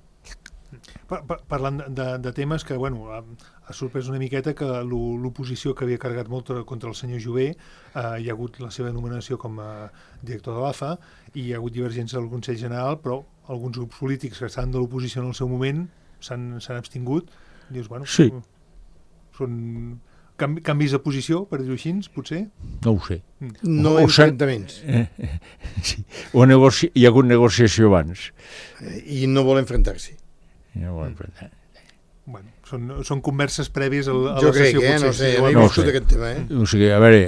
Speaker 2: Parlant de temes que, bueno, ha sorprès una miqueta que l'oposició que havia carregat molt contra el senyor Jové, hi ha hagut la seva nomenació com a director de l'AFA i hi ha hagut divergència del Consell General, però alguns grups polítics que estaven de l'oposició en el seu moment s'han abstingut. Dius, bueno,
Speaker 3: sí.
Speaker 2: Són canvis de posició, per dir-ho així, potser?
Speaker 3: No ho sé.
Speaker 4: No enfrontaments.
Speaker 3: Sí. Hi ha hagut negociació abans.
Speaker 4: I no vol enfrontar-s'hi.
Speaker 3: No vol enfrontar.
Speaker 2: Bueno, són converses prèvies a la
Speaker 4: Jo
Speaker 2: sessió,
Speaker 4: crec,
Speaker 2: potser.
Speaker 4: no sé,
Speaker 2: Sí,
Speaker 4: no he
Speaker 3: no ho
Speaker 4: viscut
Speaker 3: sé.
Speaker 4: aquest tema,
Speaker 3: O sigui, a veure,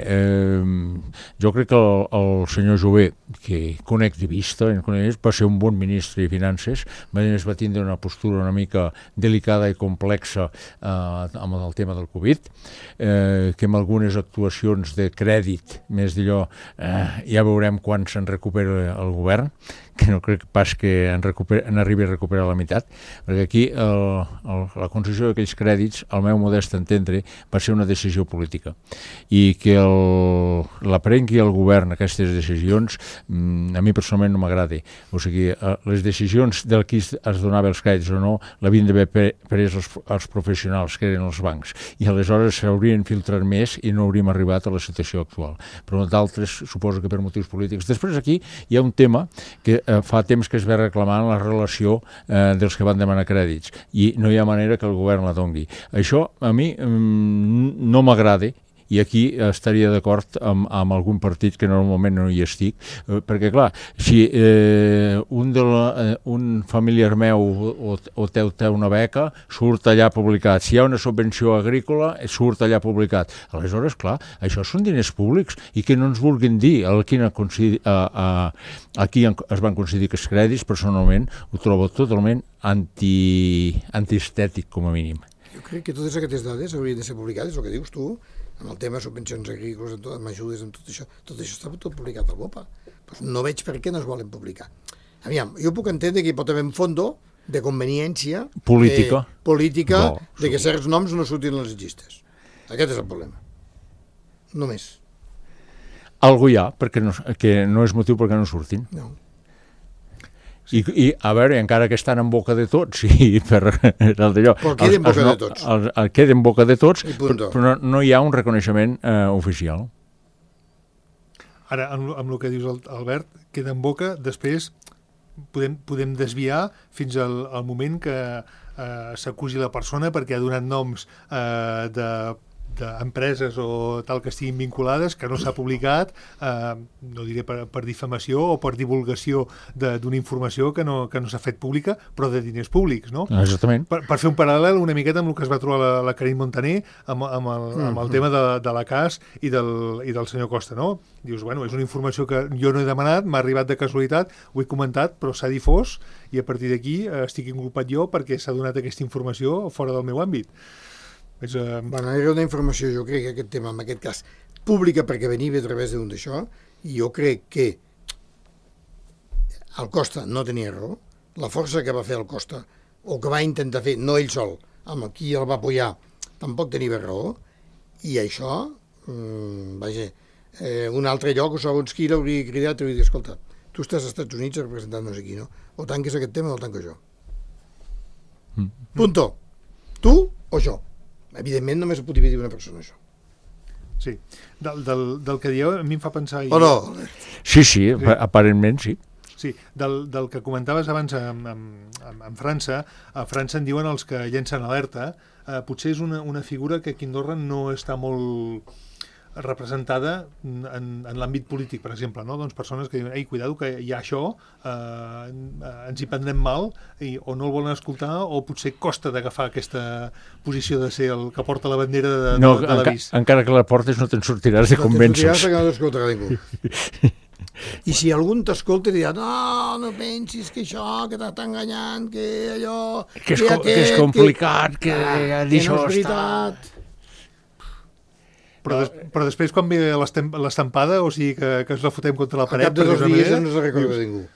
Speaker 3: jo crec que el senyor Jové, que conec de vista, va ser un bon ministre de Finances, es va tindre una postura una mica delicada i complexa amb el tema del Covid, que amb algunes actuacions de crèdit, més d'allò, ja veurem quan se'n recupera el govern, que no crec pas que en arribi a recuperar la meitat, perquè aquí la concessió d'aquells crèdits, al meu modest entendre, va ser una decisió política. I que la prengui el govern aquestes decisions, a mi personalment no m'agrada. O sigui, les decisions del qui es donava els crèdits o no, l'havien d'haver pres els professionals, que eren els bancs. I aleshores s'haurien filtrat més i no hauríem arribat a la situació actual. Però d'altres, suposo que per motius polítics. Després aquí hi ha un tema que fa temps que es ve reclamant la relació dels que van demanar crèdits i no hi ha manera que el govern la dongui. Això a mi no m'agrada i aquí estaria d'acord amb algun partit que normalment no hi estic, perquè clar, si un familiar meu o té una beca, surt allà publicat. Si hi ha una subvenció agrícola, surt allà publicat. Aleshores, clar, això són diners públics i que no ens vulguin dir a qui es van concedir aquests crèdits, personalment ho trobo totalment antiestètic, com a mínim.
Speaker 4: Jo crec que totes aquestes dades haurien de ser publicades, el que dius tu, amb el tema de subvencions agrícoles, amb ajudes, amb tot això està tot publicat al BOPA. Pues no veig per què no es volen publicar. Aviam, jo puc entendre que hi pot haver un fondo de conveniència política de que certs noms no surtin a les llistes. Aquest és el problema. Només.
Speaker 3: Algo hi ha, que no és motiu perquè no surtin.
Speaker 4: No.
Speaker 3: I a veure, encara que estan en boca de tots i per d'allò,
Speaker 4: però queda en boca de tots.
Speaker 3: Queda en boca de tots,
Speaker 4: però
Speaker 3: no hi ha un reconeixement oficial.
Speaker 2: Ara, amb el que dius, Albert, queda en boca, després podem desviar fins al moment que s'acusi la persona perquè ha donat noms d'empreses o tal que estiguin vinculades, que no s'ha publicat, no diré per difamació o per divulgació d'una informació que no s'ha fet pública, però de diners públics, no?
Speaker 3: Exactament.
Speaker 2: Per fer un paral·lel una miqueta amb el que es va trobar la Carine Montaner amb el tema de la CAS i del senyor Costa, no? Dius, bueno, és una informació que jo no he demanat, m'ha arribat de casualitat, ho he comentat, però s'ha difós i a partir d'aquí estic inculpat jo perquè s'ha donat aquesta informació fora del meu àmbit.
Speaker 4: Bueno, era una informació, jo crec que aquest tema, en aquest cas, pública perquè venia a través d'un d'això, i jo crec que el Costa no tenia raó, la força que va fer el Costa, o que va intentar fer, no ell sol, amb qui el va apoyar, tampoc tenia raó, i això, vaja, un altre lloc, o segons qui l'hauria cridat, hauria dit, escolta, tu estàs als Estats Units representant no sé qui, no? O tanques aquest tema o el tanco jo. Punto. Tu o jo. Evidentment només ho podria dir una persona, això.
Speaker 2: Sí. Del que dieu, a mi em fa pensar...
Speaker 4: O no?
Speaker 3: Sí, aparentment sí.
Speaker 2: Sí, del que comentaves abans en França, a França en diuen els que llencen alerta, potser és una figura que aquí a Andorra no està molt representada en l'àmbit polític, per exemple, no? Doncs persones que diuen, ei, cuidado, que hi ha això, ens hi prendrem mal, o no el volen escoltar, o potser costa d'agafar aquesta posició de ser el que porta la bandera de l'avís.
Speaker 3: Encara que la portes no te'n sortiràs de convèncer.
Speaker 4: No te'n sortiràs que no t'escoltarà ningú. I si algun t'escolta dirà, no pensis que això, que t'està enganyant, que allò...
Speaker 3: Que és complicat, que
Speaker 4: això no és veritat...
Speaker 2: Però després, quan ve l'estampada, o sigui que ens la fotem contra la paret...
Speaker 4: Al cap de 2 dies no es recorda ningú.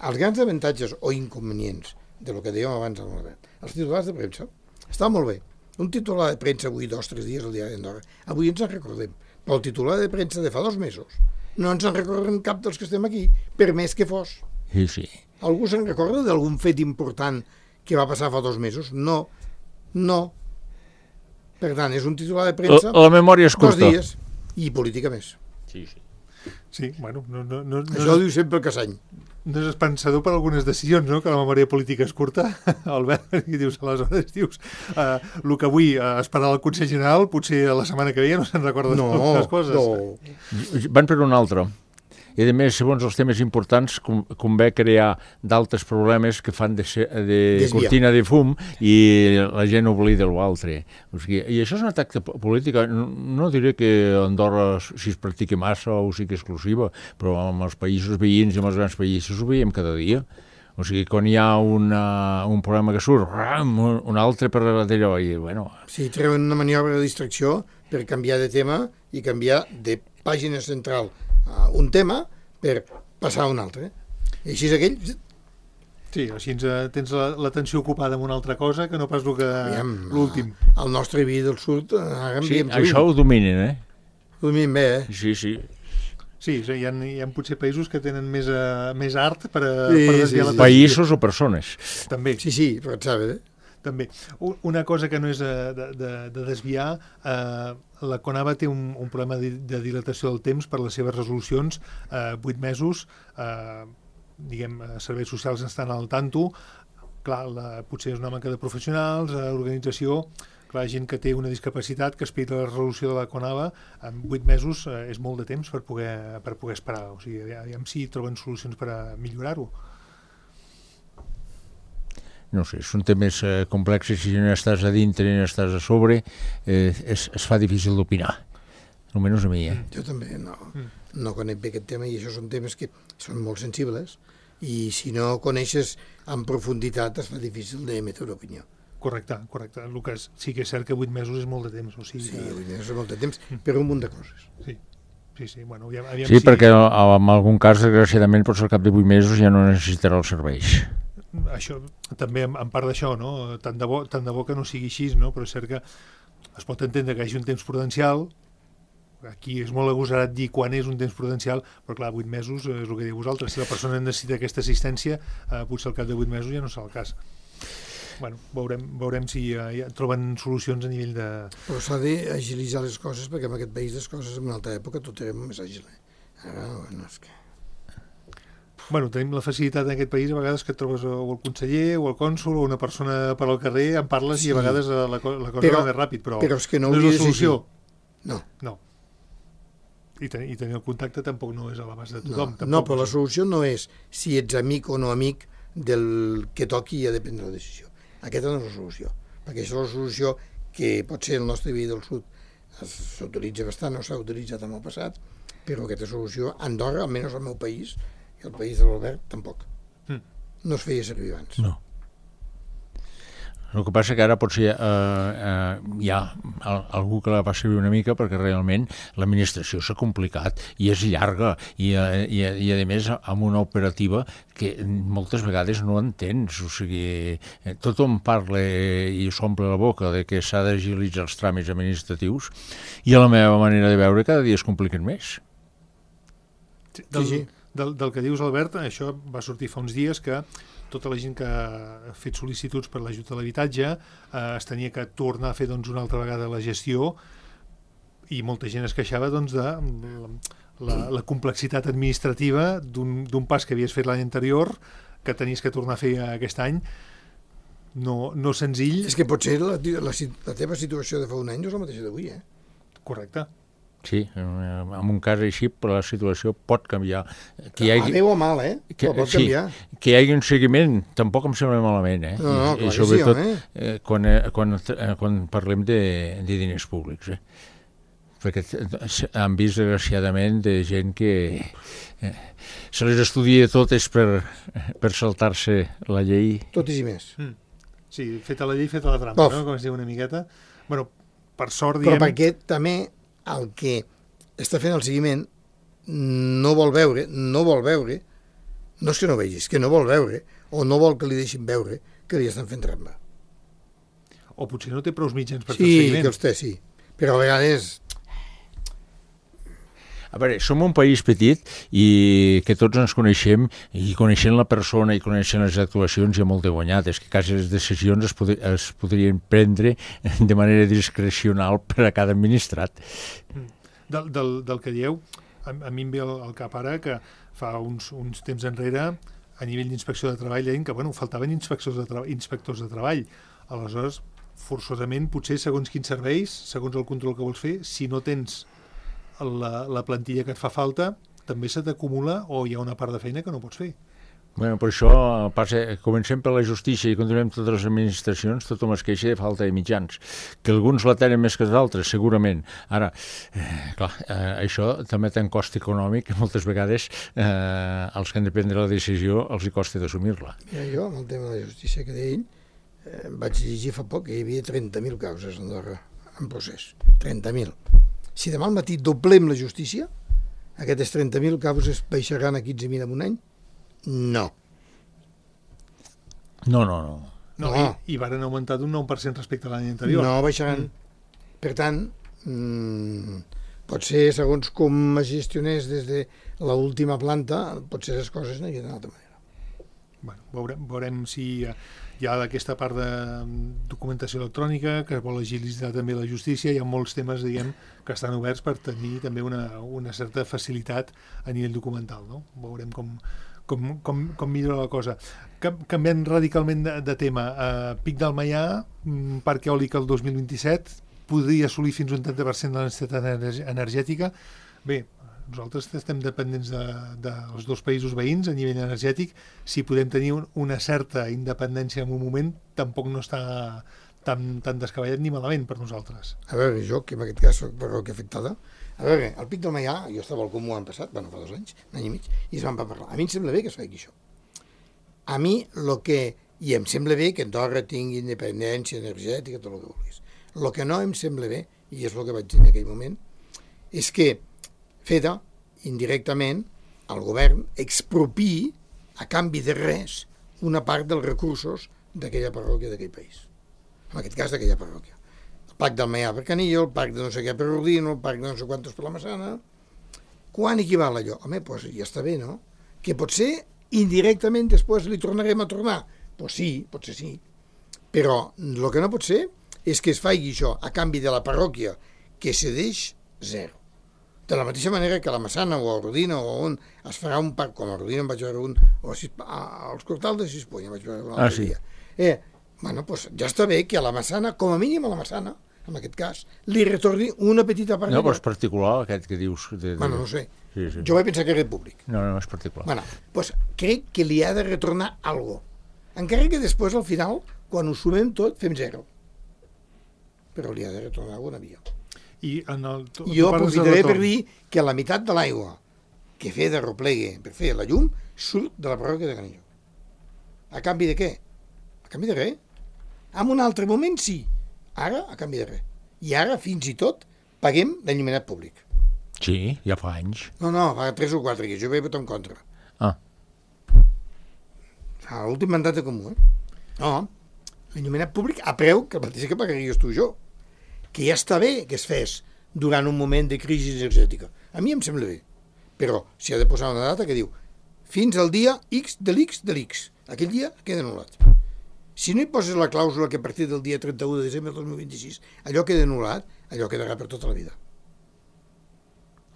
Speaker 4: Els grans avantatges o inconvenients de lo que dèiem abans al Albert, els titulars de premsa, està molt bé. Un titular de premsa avui 2 o 3 dies al diari d'Andorra, avui ens en recordem, però el titular de premsa de fa 2 mesos no ens en recordem cap dels que estem aquí, per més que fos.
Speaker 3: Sí.
Speaker 4: Algú se'n recorda d'algun fet important que va passar fa 2 mesos? No. Per tant, és un titular de premsa...
Speaker 3: La memòria és curta.
Speaker 4: 2 dies, i política més.
Speaker 2: Sí, bueno...
Speaker 4: Això ho diu sempre el Casany.
Speaker 2: No és espansador per algunes decisions, no?, que la memòria política és curta. Albert, i dius, aleshores, el que avui esperar el Consell General, potser la setmana que ve no se'n recorda d'algunes coses.
Speaker 3: No. Van per un altre. I a més, segons els temes importants, convé crear d'altres problemes que fan de cortina de fum i la gent oblida l'altre. O sigui, i això és una tàctica política. No diré que a Andorra si es practica massa o sigui exclusiva, però amb els països veïns i amb els grans països ho veiem cada dia. O sigui, quan hi ha un problema que surt, un altre per allò, i bueno...
Speaker 4: Sí, treuen una maniobra de distracció per canviar de tema i canviar de pàgina central un tema per passar a un altre. I així és aquell...
Speaker 2: Sí, així tens l'atenció ocupada amb una altra cosa que no pas l'últim.
Speaker 4: El nostre vi del sud...
Speaker 3: Sí, això ho dominen,
Speaker 4: Ho dominen bé,
Speaker 3: Sí, sí.
Speaker 2: Sí, hi ha potser països que tenen més art per desviar l'atenció.
Speaker 3: Països o persones.
Speaker 2: També.
Speaker 4: Sí, però et sabe,
Speaker 2: També. Una cosa que no és de desviar, la CONAVA té un problema de dilatació del temps per les seves resolucions, 8 mesos, serveis socials estan al tanto, clar, potser és una manca de professionals, l'organització... Clar, gent que té una discapacitat, que espera la resolució de la CONAVA, en 8 mesos és molt de temps per poder esperar. O sigui, aviam si troben solucions per a millorar-ho.
Speaker 3: No sé, són temes complexos, si no estàs a dintre ni no estàs a sobre, es fa difícil d'opinar. Almenys a mi,
Speaker 4: Jo també no conec bé aquest tema i això són temes que són molt sensibles i si no coneixes en profunditat es fa difícil d'emetre una opinió.
Speaker 2: Correcte. El que sí que és cert que 8 mesos és molt de temps. O sigui,
Speaker 4: sí, 8 mesos és molt de temps, per un munt de coses.
Speaker 2: Sí, bueno, aviam
Speaker 3: sí, perquè en algun cas, desgraciadament, potser al cap de 8 mesos ja no necessitarà els serveis.
Speaker 2: Això, també en part d'això, no? Tant de bo que no sigui així, no? Però és cert que es pot entendre que hi hagi un temps prudencial. Aquí és molt agosarat dir quan és un temps prudencial, però clar, 8 mesos és el que diu vosaltres. Si la persona necessita aquesta assistència, potser al cap de 8 mesos ja no serà el cas. Bueno, veurem si troben solucions a nivell de...
Speaker 4: Però s'ha d'agilitzar les coses, perquè en aquest país les coses en una altra època tot era més àgil. Ara, no és que...
Speaker 2: Bueno, tenim la facilitat en aquest país a vegades que et trobes o el conseller o el cònsol o una persona per al carrer, en parles i a vegades la cosa va més ràpid, però
Speaker 4: és que no
Speaker 2: és la solució.
Speaker 4: No.
Speaker 2: I tenir el contacte tampoc no és a l'abast de tothom.
Speaker 4: No, però la solució no és si ets amic o no amic del que toqui i ha de prendre la decisió. Aquesta no és la solució, perquè això és la solució que potser el nostre vi del sud s'utilitza bastant, no s'ha utilitzat en el passat, però aquesta solució a Andorra, almenys al meu país, i al país de l'Albert, tampoc. No es feia servir abans.
Speaker 3: No. El que passa que ara potser hi ha algú que la va servir una mica perquè realment l'administració s'ha complicat i és llarga i a més amb una operativa que moltes vegades no entens, o sigui, tothom parla i s'omple la boca de que s'ha d'agilitzar els tràmits administratius i a la meva manera de veure cada dia es compliquen més.
Speaker 2: Del que dius, Albert, això va sortir fa uns dies que tota la gent que ha fet sol·licituds per l'ajut a l'habitatge es tenia que tornar a fer una altra vegada la gestió i molta gent es queixava de la complexitat administrativa d'un pas que havies fet l'any anterior que tenies que tornar a fer aquest any. No senzill.
Speaker 4: És que potser la teva situació de fa un any no és la mateixa d'avui,
Speaker 2: Correcte.
Speaker 3: Sí, en un cas així, però la situació pot canviar.
Speaker 4: Adéu o mal, però pot canviar.
Speaker 3: Que hi hagi un seguiment tampoc em sembla malament,
Speaker 4: No,
Speaker 3: I sobretot quan parlem de diners públics, perquè han vist desgraciadament de gent que se les estudia totes per saltar-se la llei.
Speaker 4: Totes i més.
Speaker 2: Sí, feta la llei, feta la trampa, no? Com es diu una miqueta. Bueno, per sort, diguem...
Speaker 4: Però perquè també el que està fent el seguiment no vol veure, no és que no vegi, és que no vol veure, o no vol que li deixin veure que li estan fent trampa.
Speaker 2: O potser no té prou mitjans per fer el seguiment.
Speaker 4: Sí, que els té, sí. Però a vegades...
Speaker 3: A veure, som un país petit i que tots ens coneixem i coneixent la persona i coneixent les actuacions hi ha molt de guanyat. És que quasi les decisions es podrien prendre de manera discrecional per a cada administrat.
Speaker 2: Del que dieu, a mi em ve al cap ara que fa uns temps enrere a nivell d'inspecció de treball deien que faltaven inspectors de treball. Aleshores, forçosament, potser segons quins serveis, segons el control que vols fer, si no tens la plantilla que et fa falta, també se t'acumula o hi ha una part de feina que no pots fer.
Speaker 3: Bueno, per això comencem per la justícia i continuem totes les administracions, tothom es queixa de falta de mitjans, que alguns la tenen més que d'altres, segurament. Ara, clar, això també té un cost econòmic que moltes vegades als que han de prendre la decisió els hi costa d'assumir-la.
Speaker 4: Mira, jo, amb el tema de la justícia que deia ell, vaig llegir fa poc que hi havia 30.000 causes a Andorra en procés. 30.000. Si demà al matí doblem la justícia, aquestes 30.000 causes baixaran a 15.000 en un any? No.
Speaker 2: No, i varen augmentar d'un 9% respecte a l'any anterior.
Speaker 4: No baixaran. Per tant, potser segons com es gestionés des de l'última planta, potser les coses anirien d'una altra manera.
Speaker 2: Bueno, veurem si hi ha aquesta part de documentació electrònica que vol agilitzar també la justícia. Hi ha molts temes, diguem, que estan oberts per tenir també una certa facilitat a nivell documental, no? Veurem com millora la cosa. Canviant radicalment de tema, Pic del Maià, parc eòlic el 2027, podria assolir fins un 30% de la necessitat energètica. Bé, nosaltres estem dependents dels dos països veïns a nivell energètic. Si podem tenir una certa independència en un moment, tampoc no està tan descabellat ni malament per nosaltres.
Speaker 4: A veure, jo, que en aquest cas soc parròquia afectada, a veure, al Pic del Maià, jo estava al Comú l'any passat, fa 2 anys, un any i mig, i es van parlar. A mi em sembla bé que es faci això. A mi, i em sembla bé que Andorra tingui independència energètica, tot el que vulguis. El que no em sembla bé, i és el que vaig dir en aquell moment, és que FEDA, indirectament, el govern expropiï, a canvi de res, una part dels recursos d'aquella parròquia d'aquell país. En aquest cas, d'aquella parròquia. El parc del Maià per Canillo, el parc de no sé què per Ordino, el parc de no sé quantos per la Massana. Quan equival allò? Home, doncs ja està bé, no? Que potser indirectament després li tornarem a tornar. Doncs sí, potser sí. Però el que no pot ser és que es faci això a canvi de la parròquia que cedeix zero. De la mateixa manera que a la Massana o a Ordino o on es farà un parc, com a Ordino en vaig veure un, o als Cortals de Sisponya vaig veure un altre dia. Bueno, doncs ja està bé que a la Massana, com a mínim a la Massana, en aquest cas, li retorni una petita part.
Speaker 3: No, però és particular aquest que dius.
Speaker 4: Bueno, no sé.
Speaker 3: Sí.
Speaker 4: Jo vaig pensar que era públic.
Speaker 3: No, és particular.
Speaker 4: Bueno, doncs crec que li ha de retornar alguna cosa. Encara que després, al final, quan ho sumem tot, fem zero. Però li ha de retornar alguna via. Jo aprofitaré per dir que la meitat de l'aigua que fe de replegue per fer la llum surt de la parròquia de Canillo. A canvi de què? A canvi de res. En un altre moment sí. Ara, a canvi de res. I ara, fins i tot, paguem l'enllumenat públic.
Speaker 3: Sí, ja fa anys.
Speaker 4: No, fa 3 o 4 que jo vaig votar en contra. A l'últim mandat de Comú, No, l'enllumenat públic a preu que el mateix que pagaries tu o jo. Que ja està bé que es fes durant un moment de crisi energètica. A mi em sembla bé. Però s'hi ha de posar una data que diu fins al dia X de l'X. Aquell dia queda anul·lat. Si no hi poses la clàusula que a partir del dia 31 de desembre del 2026 allò queda anul·lat, allò quedarà per tota la vida.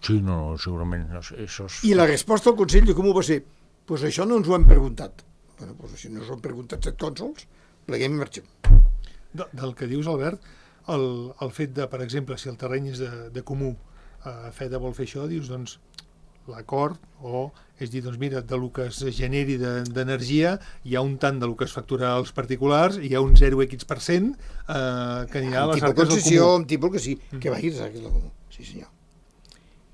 Speaker 3: Sí, no, segurament. No sé, això és...
Speaker 4: I la resposta al Consell de Comú va ser doncs això no ens ho hem preguntat. Bueno, doncs si no s'ho han preguntat 7 cònsols, pleguem i marxem.
Speaker 2: Del que dius, Albert, el fet de, per exemple, si el terreny és de comú, FEDA vol fer això, dius, doncs, l'acord, o és dir, doncs mira, del que es generi d'energia, hi ha un tant del que es factura als particulars, i hi ha un 0x% que anirà a les arques del comú.
Speaker 4: Un tipus que sí, que va ir a l'arques del comú, sí senyor.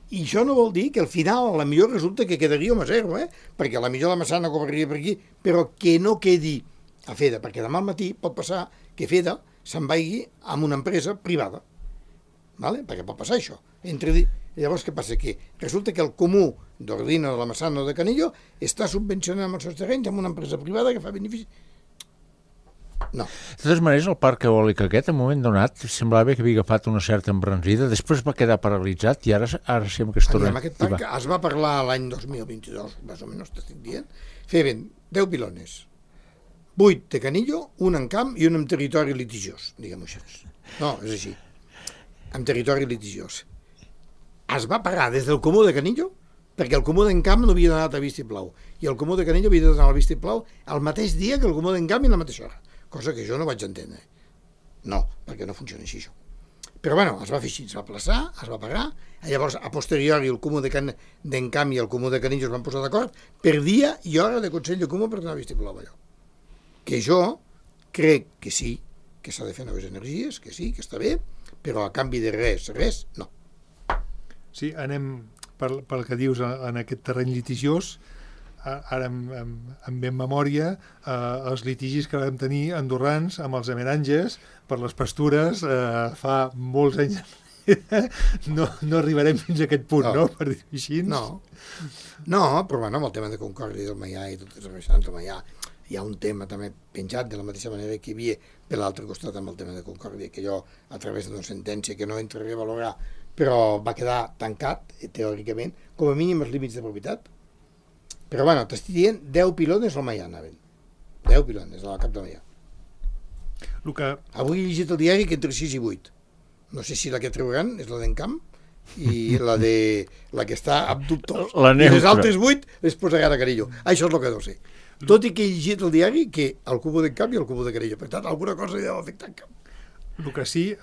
Speaker 4: I això no vol dir que al final a la millor resulta que quedaríem a zero, perquè a la millor la Massana cobraria per aquí, però que no quedi a FEDA, perquè demà al matí pot passar que FEDA se'n vagi amb una empresa privada, ¿vale? Perquè pot passar això. Llavors què passa? Que resulta que el comú d'Ordino, de la Massana o de Canillo està subvencionant els seus terrenys amb una empresa privada que fa benefici. No.
Speaker 3: De totes maneres, el parc eòlic aquest, en un moment donat, semblava que havia agafat una certa embranzida, després va quedar paralitzat i ara sembla que es torna...
Speaker 4: Aquest parc es va parlar l'any 2022, més o menys t'estic dient, feien 10 pilones, 8 de Canillo, un en camp i un en territori litigiós, diguem-ho així. No, és així. En territori litigiós. Es va pagar des del Comú de Canillo, perquè el Comú d'Encamp no havia donat a vistiplau, i el Comú de Canillo havia donat el vistiplau el mateix dia que el Comú d'Encamp i la mateixa hora, cosa que jo no vaig entendre. No, perquè no funciona així, això. Però bueno, es va fer així, es va plaçar, es va pagar, llavors a posteriori el Comú d'Encamp i el Comú de Canillo es van posar d'acord per dia i hora de Consell de Comú per donar vistiplau allò. Que jo crec que sí, que s'ha de fer noves energies, que sí, que està bé, però a canvi de res, no.
Speaker 2: Sí, anem pel que dius en aquest terreny litigiós. Ara em ve en memòria els litigis que vam tenir andorrans amb els amenanges per les pastures fa molts anys. No arribarem fins a aquest punt, no? Per dir-ho així.
Speaker 4: No, però bueno, amb el tema de Concòrdia del Maià i totes les vessants del Maià hi ha un tema també penjat de la mateixa manera que hi havia per l'altre costat amb el tema de Concòrdia, que jo, a través d'una sentència que no entraré a valorar, però va quedar tancat, teòricament, com a mínim els límits de propietat. Però bueno, t'estic dient 10 pilones al Maià anaven. 10 pilones al cap del Maià. Avui he llegit el diari que entre 6 i 8. No sé si la que trauran és la d'Encamp i la que està amb dubtors. I les altres 8 les posaran a Canillo. Això és el que deu ser. Tot i que he llegit el diari que el Comú d'Encamp i el Comú de Canillo. Per tant, alguna cosa hi deu afectar Encamp.
Speaker 2: El que sí,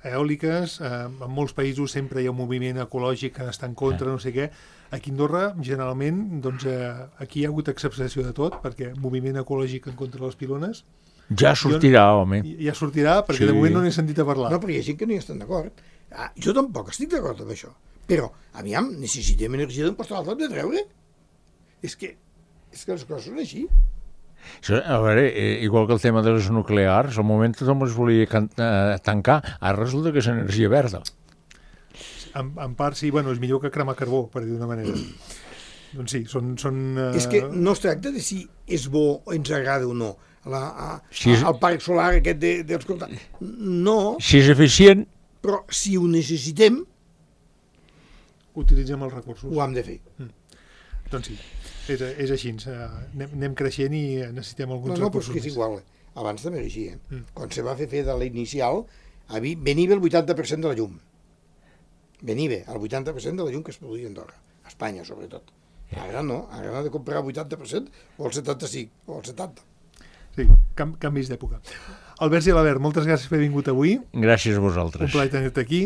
Speaker 2: eòliques, en molts països sempre hi ha un moviment ecològic que està en contra, no sé què. Aquí a Andorra, generalment, doncs, aquí hi ha hagut acceptació de tot, perquè moviment ecològic en contra de les pilones...
Speaker 3: Ja sortirà, home.
Speaker 2: Ja sortirà, perquè de moment no n'he sentit a parlar.
Speaker 4: No, perquè hi ha gent que no hi estan d'acord. Jo tampoc estic d'acord amb això. Però, aviam, necessitem energia d'un post a l'altre de treure. És que les coses són així.
Speaker 3: A veure, igual que el tema de les nuclears, al moment tothom es volia tancar, ara resulta que és energia verda.
Speaker 2: En part sí, bueno, és millor que cremar carbó, per dir d'una manera. Doncs sí, són...
Speaker 4: És que no es tracta de si és bo o ens agrada o no. El parc solar aquest d'escoltar. No.
Speaker 3: Si és eficient.
Speaker 4: Però si ho necessitem...
Speaker 2: Utilitzem els recursos.
Speaker 4: Ho hem de fer.
Speaker 2: Doncs sí, és així. Anem creixent i necessitem alguns recursos.
Speaker 4: No, però és que és igual. Abans també era així. Quan se va fer de l'inicial, venia el 80% de la llum. Venia el 80% de la llum que es produïa a Andorra. A Espanya, sobretot. Ara no. Ara ha de comprar el 80% o el 75% o el 70%.
Speaker 2: Sí, canvis d'època. Albert Gilabert, moltes gràcies per haver vingut avui.
Speaker 3: Gràcies a vosaltres.
Speaker 2: Un plaer tenir-te aquí.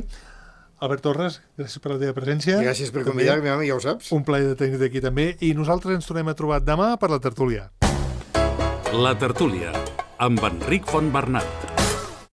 Speaker 2: Albert Torres, gràcies per la teva presència.
Speaker 4: Gràcies per convidar-me, home, ja ho saps.
Speaker 2: Un plaer de tenir-te aquí també. I nosaltres ens tornem a trobar demà per la tertúlia.
Speaker 1: La tertúlia, amb Enric Fontbernat.